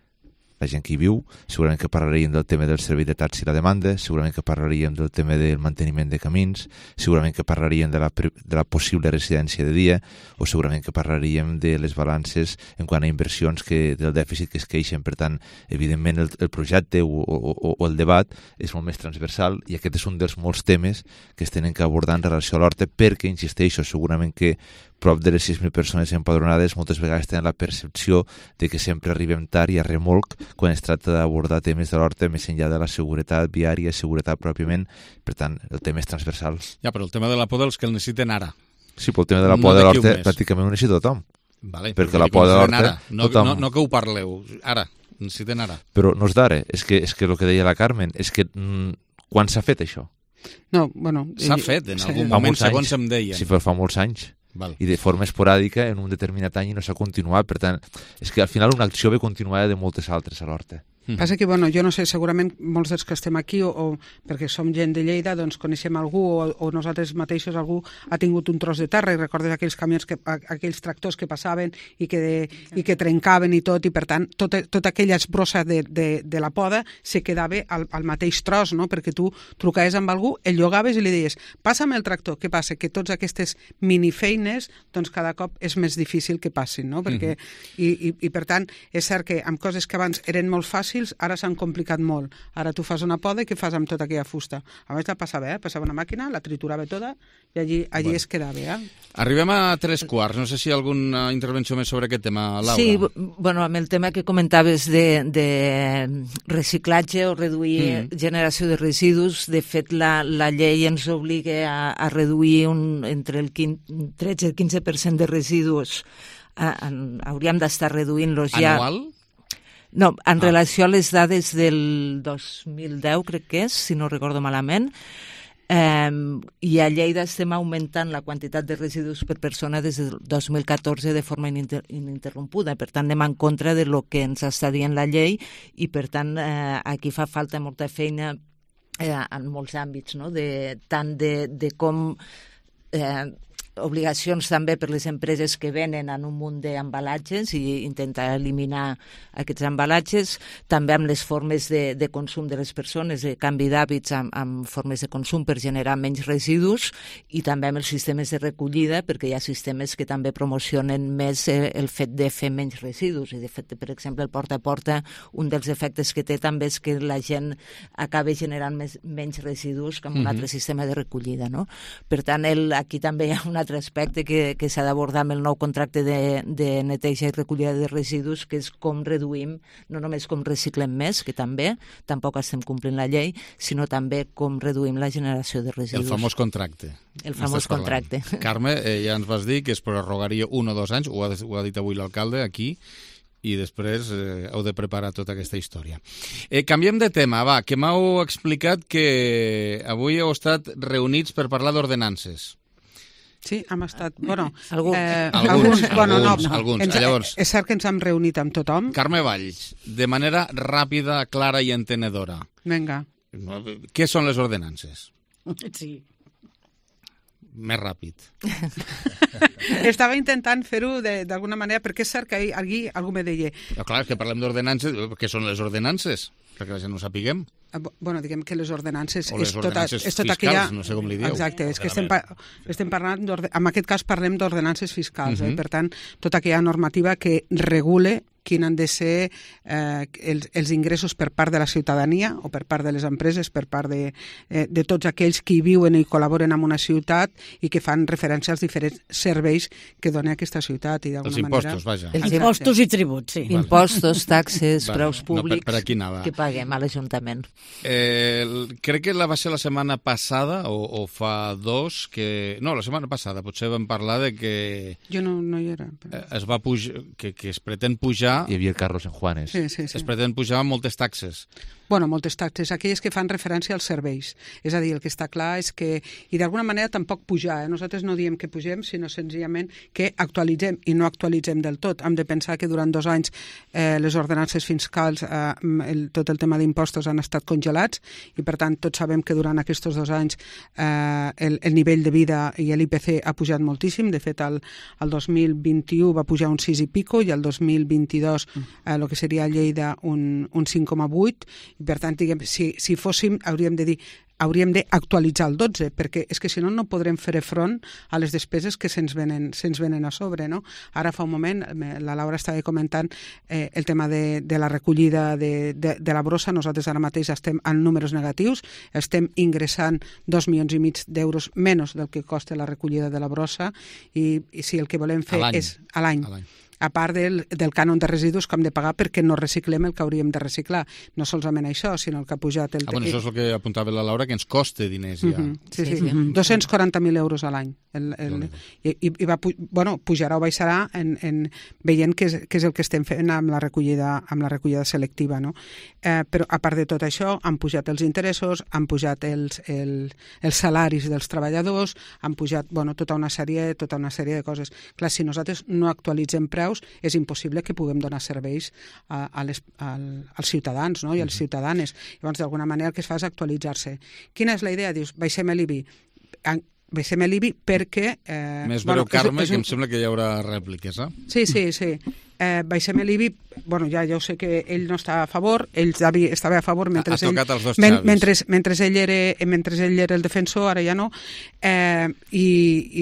la gent que hi viu, segurament que parlaríem del tema del servei de taxi i la demanda, segurament que parlaríem del tema del manteniment de camins, segurament que parlaríem de la, de la possible residència de dia, o segurament que parlaríem de les balances en quant a inversions que, del dèficit que es queixen. Per tant, evidentment el, el projecte o, o, o el debat és molt més transversal i aquest és un dels molts temes que es tenen que abordar en relació a l'horta perquè, insisteixo, segurament que prop de les sis mil persones empadronades moltes vegades tenen la percepció de que sempre arribem tard i a remolc quan es tracta d'abordar temes de l'Horta més enllà de la seguretat viària, seguretat pròpiament. Per tant, el tema és transversal. Ja, però el tema de la por dels que el necessiten ara. Sí, però el tema de la por de l'Horta pràcticament ho necessita tothom. Vale, perquè la por de l'Horta... No, no, no que ho parleu, ara, necessiten ara. Però no és d'ara, és que, és que el que deia la Carmen, és que mm, quan s'ha fet això? No, bueno... S'ha fet en algun moment, segons em deien. Sí, però fa molts anys. Val. I de forma esporàdica en un determinat any i no s'ha continuat. Per tant, és que al final una acció ve continuada de moltes altres a l'Horta. Mm. Passa que, bueno, jo no sé, segurament molts dels que estem aquí, o, o perquè som gent de Lleida, doncs coneixem algú, o, o nosaltres mateixos algú ha tingut un tros de terra i recordes aquells camions, que, aquells tractors que passaven i que, de, i que trencaven i tot, i per tant, tota, tota aquella esbrossa de, de, de la poda se quedava al, al mateix tros, no? Perquè tu trucaves amb algú, el llogaves i li deies, passa'm el tractor. Què passa? Que tots aquestes minifeines, doncs cada cop és més difícil que passin, no? Perquè, mm-hmm. i, i, i per tant, és cert que amb coses que abans eren molt fàcils, ara s'han complicat molt. Ara tu fas una poda i què fas amb tota aquella fusta? A més la passava, eh? Passava una màquina, la triturava tota i allí, allí bueno. es quedava. Eh? Arribem a tres quarts. No sé si hi ha alguna intervenció més sobre aquest tema, Laura. Sí, bueno, amb el tema que comentaves de, de reciclatge o reduir mm. generació de residus, de fet la, la llei ens obliga a, a reduir un, entre el tretze i el quinze per cent de residus. A, a, hauríem d'estar reduint-los ja... Anual? No, en ah. relació a les dades del dos mil deu, crec que és, si no recordo malament, eh, i a Lleida estem augmentant la quantitat de residus per persona des del dos mil catorze de forma ininter ininterrompuda. Per tant, anem en contra de lo que ens està dient la llei i, per tant, eh, aquí fa falta molta feina eh, en molts àmbits, no? de, tant de, de com... Eh, obligacions també per les empreses que venen en un munt d'embalatges i intentar eliminar aquests embalatges, també amb les formes de, de consum de les persones, de canvi d'hàbits amb, amb formes de consum per generar menys residus i també amb els sistemes de recollida, perquè hi ha sistemes que també promocionen més el, el fet de fer menys residus i de fet, per exemple, el porta a porta, un dels efectes que té també és que la gent acaba generant més, menys residus que amb un mm-hmm. altre sistema de recollida, no? Per tant, el, aquí també hi ha una altre aspecte que, que s'ha d'abordar amb el nou contracte de, de neteja i recollida de residus, que és com reduïm, no només com reciclem més, que també, tampoc estem complint la llei, sinó també com reduïm la generació de residus. El famós contracte. El famós contracte. Carme, eh, ja ens vas dir que es prorrogaria un o dos anys, ho ha, ho ha dit avui l'alcalde aquí, i després eh, heu de preparar tota aquesta història. Eh, canviem de tema, va, que m'heu explicat que avui heu estat reunits per parlar d'ordenances. Sí, hem estat... Bueno, Algú. eh, alguns, alguns, bueno, no, alguns, alguns. Ens, Llavors, és cert que ens hem reunit amb tothom. Carme Valls, de manera ràpida, clara i entenedora. Vinga. Què són les ordenances? Sí. Més ràpid. Estava intentant fer-ho d'alguna manera, perquè és cert que ahir algú me deia... No, clar, és que parlem d'ordenances. Què són les ordenances? Perquè la gent no ho sapiguem. Bueno, diguem que les ordenances... O les és tota, ordenances és tota fiscals, aquella... no sé com li dieu. Exacte, és que estem, pa... estem parlant... En aquest cas parlem d'ordenances fiscals, uh-huh. eh? Per tant, tota aquella normativa que regule quin han de ser eh, els, els ingressos per part de la ciutadania o per part de les empreses, per part de, eh, de tots aquells que hi viuen i col·laboren en una ciutat i que fan referència als diferents serveis que dona aquesta ciutat. I els manera... impostos, vaja. Els impostos i tributs, sí. Impostos, taxes, vale. Preus públics, no, per, per aquí anava. Que paguem a l'Ajuntament. Eh, crec que la va ser la setmana passada, o, o fa dos, que... No, la setmana passada potser vam parlar de que... Jo no, no hi era. Però... Es va pujar, que, que es pretén pujar... Hi havia el Carlos en Juanes. Sí, sí, sí. Es pretén pujar moltes taxes. Bueno, moltes taxes, aquelles que fan referència als serveis. És a dir, el que està clar és que, i d'alguna manera tampoc pujar, eh? Nosaltres no diem que pugem, sinó senzillament que actualitzem, i no actualitzem del tot. Hem de pensar que durant dos anys eh, les ordenances fiscals, eh, el, tot el tema d'impostos han estat congelats, i per tant tots sabem que durant aquests dos anys eh, el, el nivell de vida i l'I P C ha pujat moltíssim. De fet, el, el dos mil vint-i-u va pujar un sis i pico, i el dos mil vint-i-dos, eh, el que seria a Lleida, un, un cinc coma vuit, Per tant, diguem, si, si fóssim, hauríem de dir, hauríem d'actualitzar el dotze, perquè és que si no no podrem fer front a les despeses que se'ns venen, se'ns venen a sobre, no? Ara fa un moment, la Laura estava comentant eh, el tema de, de la recollida de, de, de la brossa. Nosaltres ara mateix estem en números negatius, estem ingressant dos milions i mig d'euros menys del que costa la recollida de la brossa, i, i si el que volem fer és a l'any, a part del, del cànon de residus que hem de pagar perquè no reciclem el que hauríem de reciclar. No solament això, sinó el que ha pujat... El... Ah, bueno, això és el que apuntava la Laura, que ens costa diners ja. Uh-huh. Sí, sí, sí. Uh-huh. dos-cents quaranta mil euros a l'any. El, el, i, i va, bueno, pujarà o baixarà en, en, veient què és, què és el que estem fent amb la recollida, amb la recollida selectiva, no? Eh, però a part de tot això, han pujat els interessos, han pujat els, el, els salaris dels treballadors, han pujat, bueno, tota una sèrie, tota una sèrie de coses. Clar, si nosaltres no actualitzem preus, és impossible que puguem donar serveis a, a les, al, als ciutadans, no? I a les ciutadanes. Llavors, d'alguna manera, el que es fa és actualitzar-se. Quina és la idea? Dius, baixem l'I B I. Baixem l'I B I perquè... Eh, Més breu, bueno, Carme, és, és un... que em sembla que hi haurà rèpliques, eh? Sí, sí, sí. Eh, baixem l'I B I, bueno, ja, ja ho sé que ell no està a favor, ell estava a favor mentre, ha tocat ell, els dos men, mentre, mentre, ell era, mentre ell era el defensor, ara ja no, eh, i,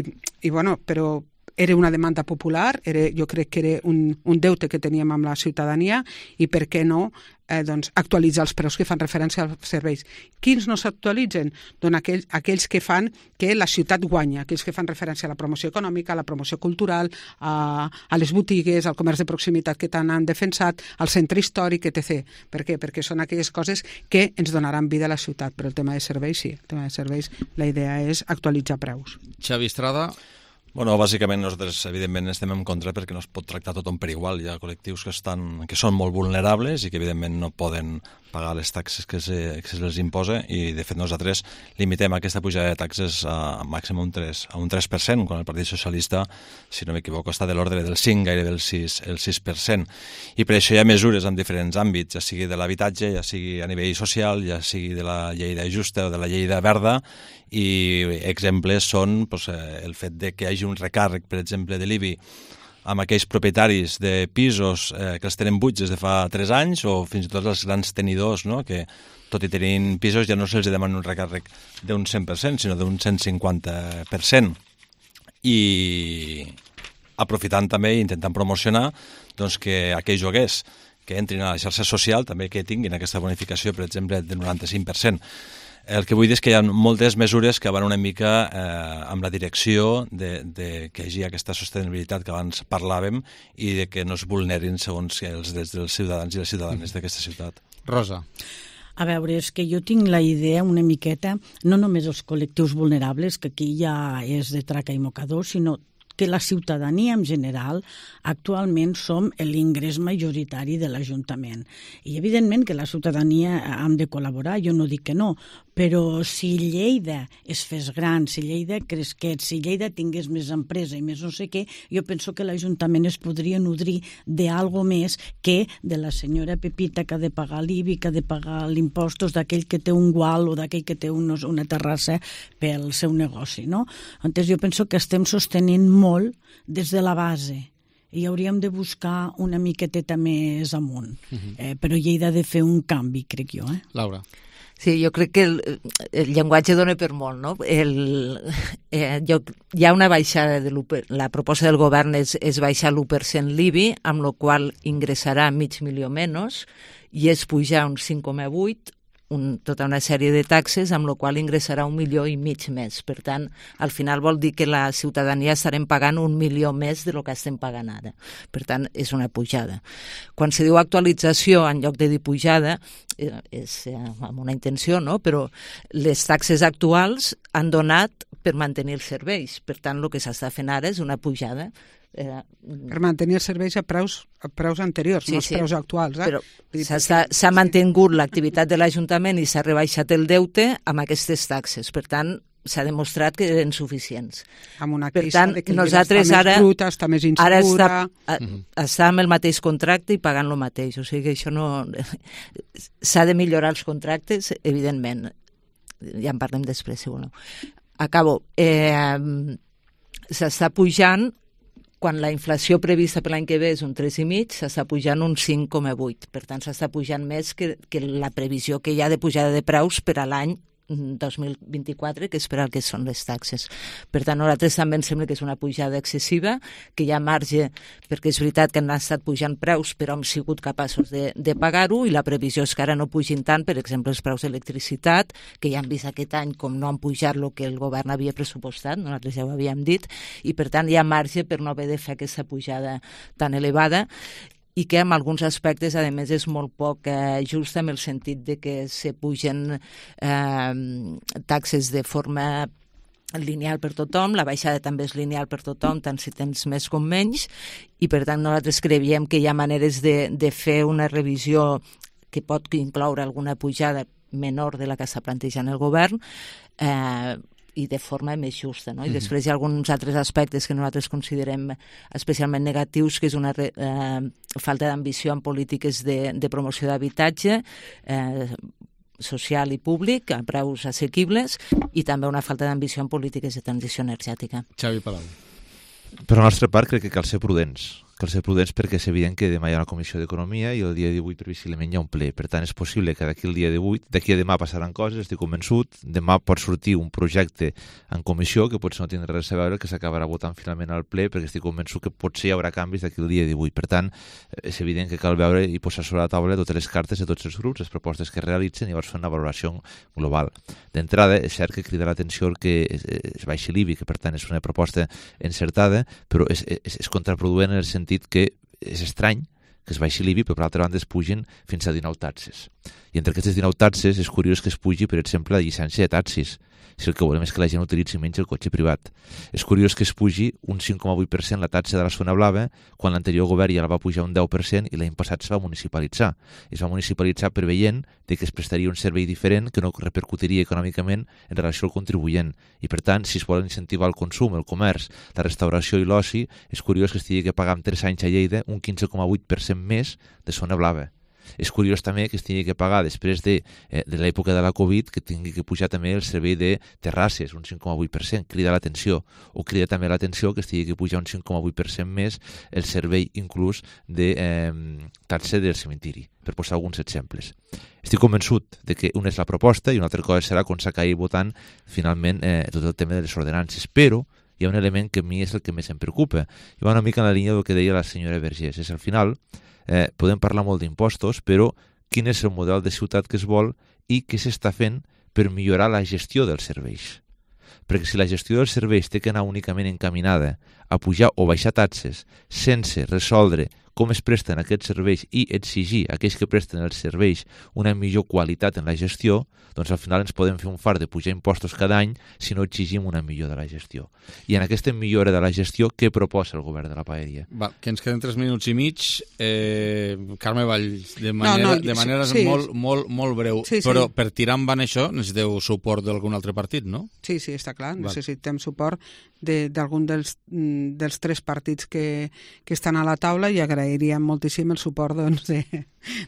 i, i bueno, però era una demanda popular, era, jo crec que era un, un deute que teníem amb la ciutadania, i per què no eh, doncs, actualitzar els preus que fan referència als serveis. Quins no s'actualitzen? Doncs aquells, aquells que fan que la ciutat guanya, aquells que fan referència a la promoció econòmica, a la promoció cultural, a, a les botigues, al comerç de proximitat que tant han defensat, al centre històric, etcètera. Per què? Perquè són aquelles coses que ens donaran vida a la ciutat, però el tema de serveis sí, el tema de serveis, la idea és actualitzar preus. Xavi Estrada. Bueno, bàsicament nosaltres evidentment estem en contra perquè no es pot tractar tothom per igual. Hi ha col·lectius que, estan, que són molt vulnerables i que evidentment no poden pagar les taxes que se, que se les imposa, i de fet nosaltres limitem aquesta pujada de taxes a, a màxim un tres, a un tres per cent, quan el Partit Socialista, si no m'equivoco, està de l'ordre del cinc, gairebé el sis, el sis per cent. I per això hi ha mesures en diferents àmbits, ja sigui de l'habitatge, ja sigui a nivell social, ja sigui de la llei de justa o de la llei de verda, i exemples són doncs, el fet de que hi hagi un recàrrec, per exemple, de l'I B I amb aquells propietaris de pisos eh, que els tenen buits des de fa tres anys, o fins i tot els grans tenidors, no? Que tot i tenint pisos ja no se'ls demana un recàrrec d'un cent per cent, sinó d'un cent cinquanta per cent. I aprofitant també i intentant promocionar doncs, que aquells joguers que entrin a la xarxa social també que tinguin aquesta bonificació, per exemple, del noranta-cinc per cent. El que vull dir és que hi ha moltes mesures que van una mica eh, amb la direcció de, de que hi hagi aquesta sostenibilitat que abans parlàvem i de que no es vulnerin segons els drets dels ciutadans i les ciutadanes d'aquesta ciutat. Rosa. A veure, és que jo tinc la idea una miqueta, no només els col·lectius vulnerables, que aquí ja és de traca i mocador, sinó que la ciutadania en general actualment som l'ingrés majoritari de l'Ajuntament. I evidentment que la ciutadania hem de col·laborar, jo no dic que no, però si Lleida es fes gran, si Lleida cresqués, si Lleida tingués més empresa i més no sé què, jo penso que l'Ajuntament es podria nodrir d'algo més que de la senyora Pepita que ha de pagar l'I B I, que ha de pagar l'impostos d'aquell que té un gual o d'aquell que té un, una terrassa pel seu negoci, no? Entonces jo penso que estem sostenint molt des de la base i hauríem de buscar una miqueteta més amunt. Uh-huh. eh, però Lleida ha de fer un canvi, crec jo. Eh? Laura. Sí, jo crec que el, el llenguatge dona per molt, no? El, eh, jo, hi ha una baixada de l'u per cent, la proposta del govern és, és baixar l'u per cent l'I B I, amb la qual ingressarà mig milió menys, i és pujar un cinc coma vuit, un, tota una sèrie de taxes, amb la qual ingressarà un milió i mig més. Per tant, al final vol dir que la ciutadania estarem pagant un milió més de lo que estem pagant ara. Per tant, és una pujada. Quan se diu actualització en lloc de dir pujada, eh, és eh, amb una intenció, no? Però les taxes actuals han donat per mantenir els serveis. Per tant, el que s'està fent ara és una pujada. Eh, per mantenir els serveis a preus, a preus anteriors, sí, no els sí, preus actuals. Eh? Però s'ha mantingut l'activitat de l'Ajuntament i s'ha rebaixat el deute amb aquestes taxes. Per tant, s'ha demostrat que eren suficients. Amb una per tant, de que nosaltres està ara, més bruta, està més insegura... Ara està, a, està amb el mateix contracte i pagant el mateix. O sigui que això no... S'ha de millorar els contractes, evidentment. Ja en parlem després, si voleu. Acabo. Eh, s'està pujant quan la inflació prevista per l'any que ve és un tres coma cinc, s'està pujant un cinc coma vuit. Per tant, s'està pujant més que, que la previsió que hi ha de pujada de preus per a l'any dos mil vint-i-quatre, que és per al que són les taxes. Per tant, a nosaltres també ens sembla que és una pujada excessiva, que hi ha marge, perquè és veritat que han estat pujant preus, però hem sigut capaços de, de pagar-ho, i la previsió és que ara no pugin tant, per exemple, els preus d'electricitat, que ja han vist aquest any com no han pujat el que el govern havia pressupostat, nosaltres ja ho havíem dit, i per tant hi ha marge per no haver de fer aquesta pujada tan elevada, i que en alguns aspectes, a més, és molt poc eh, just en el sentit de que se pugen eh, taxes de forma lineal per tothom, la baixada també és lineal per tothom, tant si tens més com menys, i per tant nosaltres creiem que hi ha maneres de, de fer una revisió que pot incloure alguna pujada menor de la que està plantejant el govern, eh, i de forma més justa, no? I mm-hmm. després hi ha alguns altres aspectes que nosaltres considerem especialment negatius, que és una eh, falta d'ambició en polítiques de, de promoció d'habitatge eh, social i públic, a preus assequibles, i també una falta d'ambició en polítiques de transició energètica. Xavi Palau. Per la nostra part, crec que cal ser prudents. Cal ser prudents perquè és evident que demà hi ha una comissió d'Economia i el dia divuit previsiblement hi ha un ple. Per tant, és possible que d'aquí el dia divuit, d'aquí a demà passaran coses, estic convençut. Demà pot sortir un projecte en comissió que potser no tindrà res a veure, que s'acabarà votant finalment al ple, perquè estic convençut que potser hi haurà canvis d'aquí el dia divuit. Per tant, és evident que cal veure i posar sobre la taula totes les cartes de tots els grups, les propostes que realitzen, i llavors fer una valoració global. D'entrada, és cert que crida l'atenció que es, es baixi l'I B I, que per tant és una proposta encertada, però és, és, és contraproduent en el sentit que és estrany que es baixi l'I B I, però per altra banda es pugin fins a dinou taxes. I entre aquestes dinou taxes és curiós que es pugi, per exemple, la llicència de taxis, si el que volem és que la gent utilitzi menys el cotxe privat. És curiós que es pugi un cinc coma vuit per cent la taxa de la zona blava, quan l'anterior govern ja la va pujar un deu per cent i l'any passat es va municipalitzar. Es va municipalitzar preveient que es prestaria un servei diferent que no repercutiria econòmicament en relació al contribuent. I per tant, si es volen incentivar el consum, el comerç, la restauració i l'oci, és curiós que es tingui que pagar en tres anys a Lleida un quinze coma vuit per cent més de zona blava. És curiós també que es tingui que pagar després de, eh, de l'època de la Covid, que tingui que pujar també el servei de terrasses, un cinc coma vuit per cent, crida l'atenció. O crida també l'atenció que es tingui que pujar un cinc coma vuit per cent més el servei inclús de eh, taxa del cementiri, per posar alguns exemples. Estic convençut de que una és la proposta i una altra cosa serà quan s'acabi votant finalment eh, tot el tema de les ordenances, però hi ha un element que a mi és el que més em preocupa. I va una mica en la línia del que deia la senyora Vergés. És al final, eh, podem parlar molt d'impostos, però quin és el model de ciutat que es vol i què s'està fent per millorar la gestió dels serveis. Perquè si la gestió dels serveis té que anar únicament encaminada a pujar o baixar taxes sense resoldre com es presten aquests serveis i exigir a aquells que presten els serveis una millor qualitat en la gestió, doncs al final ens podem fer un fart de pujar impostos cada any si no exigim una millora de la gestió. I en aquesta millora de la gestió, què proposa el govern de la Paeria? Va, que ens queden tres minuts i mig. Eh, Carme Valls, de manera, no, no, de manera sí, molt, molt, molt breu, sí, sí. Però per tirar endavant això necessiteu suport d'algun altre partit, no? Sí, sí, està clar. Necessitem suport d'algun de, dels, dels tres partits que, que estan a la taula i agrairíem moltíssim el suport doncs, de,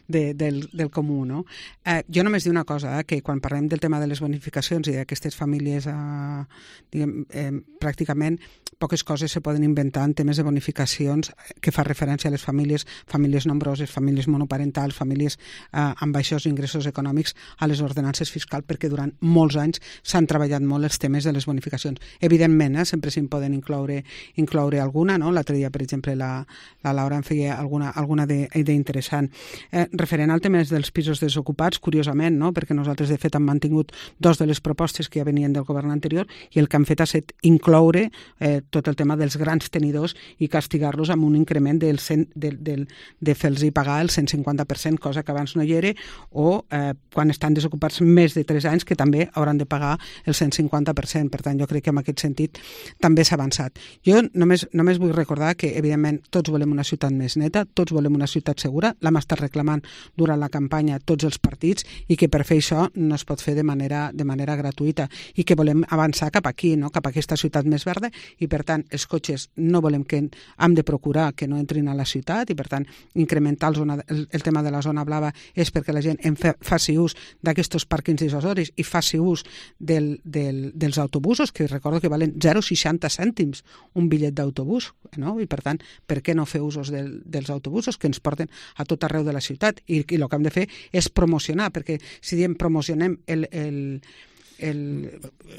de, del, del comú. No? Eh, jo només dir una cosa, eh, que quan parlem del tema de les bonificacions i d'aquestes famílies, eh, diguem, eh, pràcticament poques coses se poden inventar en temes de bonificacions que fa referència a les famílies, famílies nombroses, famílies monoparentals, famílies eh, amb baixos ingressos econòmics, a les ordenances fiscals, perquè durant molts anys s'han treballat molt els temes de les bonificacions. Evidentment, eh, sempre se'n poden incloure, incloure alguna, no? L'altre dia, per exemple, la, la Laura en feia alguna, alguna d'interessant. Eh, referent al tema dels pisos desocupats, curiosament, no? Perquè nosaltres, de fet, hem mantingut dos de les propostes que ja venien del govern anterior i el que han fet ha estat incloure eh, tot el tema dels grans tenidors i castigar-los amb un increment del cent, del, del, de fer-los pagar el cent cinquanta per cent, cosa que abans no hi era, o eh, quan estan desocupats més de tres anys, que també hauran de pagar el cent cinquanta per cent. Per tant, jo crec que en aquest sentit també s'ha avançat. Jo només, només vull recordar que, evidentment, tots volem una ciutat més més neta, tots volem una ciutat segura, l'hem estat reclamant durant la campanya tots els partits i que per fer això no es pot fer de manera, de manera gratuïta i que volem avançar cap aquí, no? Cap a aquesta ciutat més verda i per tant els cotxes no volem que hem de procurar que no entrin a la ciutat i per tant incrementar el, zona, el, el tema de la zona blava és perquè la gent en fa, faci ús d'aquests pàrquings dissuasoris i faci ús del, del, dels autobusos, que recordo que valen zero coma seixanta cèntims un bitllet d'autobús, no? I per tant, per què no fer usos del, dels autobusos que ens porten a tot arreu de la ciutat? I, i el que hem de fer és promocionar, perquè si diem promocionem el... el El...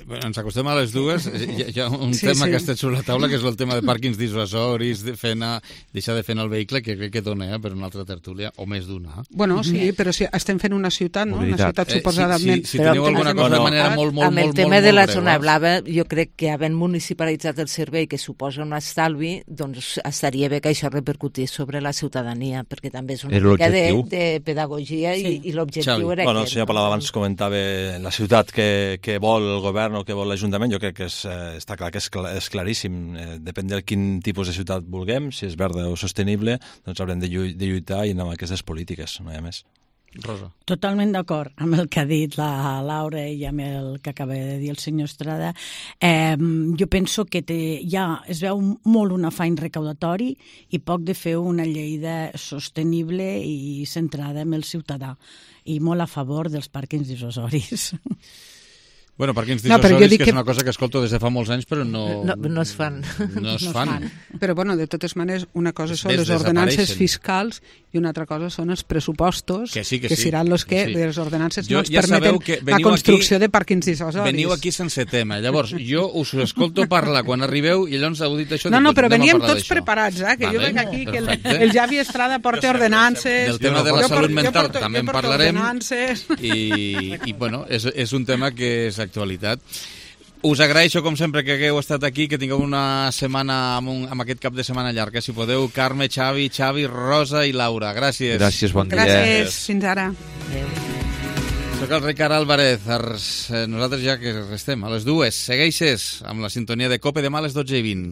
Bueno, ens acostem a les dues. Hi ha, hi ha un sí, tema sí. que ha estat sobre la taula, que és el tema de pàrquings dissuasoris, de fer anar, deixar de fer anar el vehicle, que crec que dona eh, per una altra tertúlia, o més d'una. Bueno, sí, però si estem fent una ciutat, no? Una ciutat suposadament... Eh, si, si, si teniu alguna cosa de manera molt, molt, amb el molt, tema molt, de la molt zona breu, blava, jo crec que havent municipalitzat el servei, que suposa un estalvi, doncs estaria bé que això repercutís sobre la ciutadania, perquè també és una mica de, de pedagogia sí. i, i l'objectiu era bueno, aquest. El senyor Palau abans comentava la ciutat que, que vol el govern o que vol l'Ajuntament, jo crec que és, eh, està clar que és, clar, és claríssim. Eh, depèn de quin tipus de ciutat vulguem, si és verda o sostenible, doncs haurem de, lluit, de lluitar i anar amb aquestes polítiques, no hi ha més. Rosa. Totalment d'acord amb el que ha dit la Laura i amb el que acaba de dir el senyor Estrada. Eh, jo penso que té, ja es veu molt un afany recaudatori i poc de fer una llei de sostenible i centrada en el ciutadà i molt a favor dels pàrquings dissuasoris. Bueno, pàrquings dissuasoris, no, que, que és una cosa que escolto des de fa molts anys, però no... No, no es fan. No es fan. No es fan. Però, bueno, de totes maneres, una cosa són les ordenances fiscals i una altra cosa són els pressupostos, que, sí, que, que sí. seran els que, sí. les ordenances jo, no ens ja permeten la construcció aquí, de pàrquings dissuasoris. Veniu aquí sense tema. Llavors, jo us escolto parlar quan arribeu i llavors heu dit això... No, no, però veníem tots d'això. preparats, eh? Que vale, jo veig aquí que el, el Javi Estrada porta ordenances... Del tema de la salut mental porto, també en parlarem. I, i, bueno, és, és un tema que és actualitat. Us agraeixo, com sempre, que hagueu estat aquí, que tingueu una setmana amb, un, amb aquest cap de setmana llarg. Si podeu, Carme, Xavi, Xavi, Rosa i Laura. Gràcies. Gràcies, bon dia. Gràcies, fins ara. Soc el Ricard Álvarez. Nosaltres ja que restem a les dues. Segueixes amb la sintonia de COPE demà a les dotze i vint.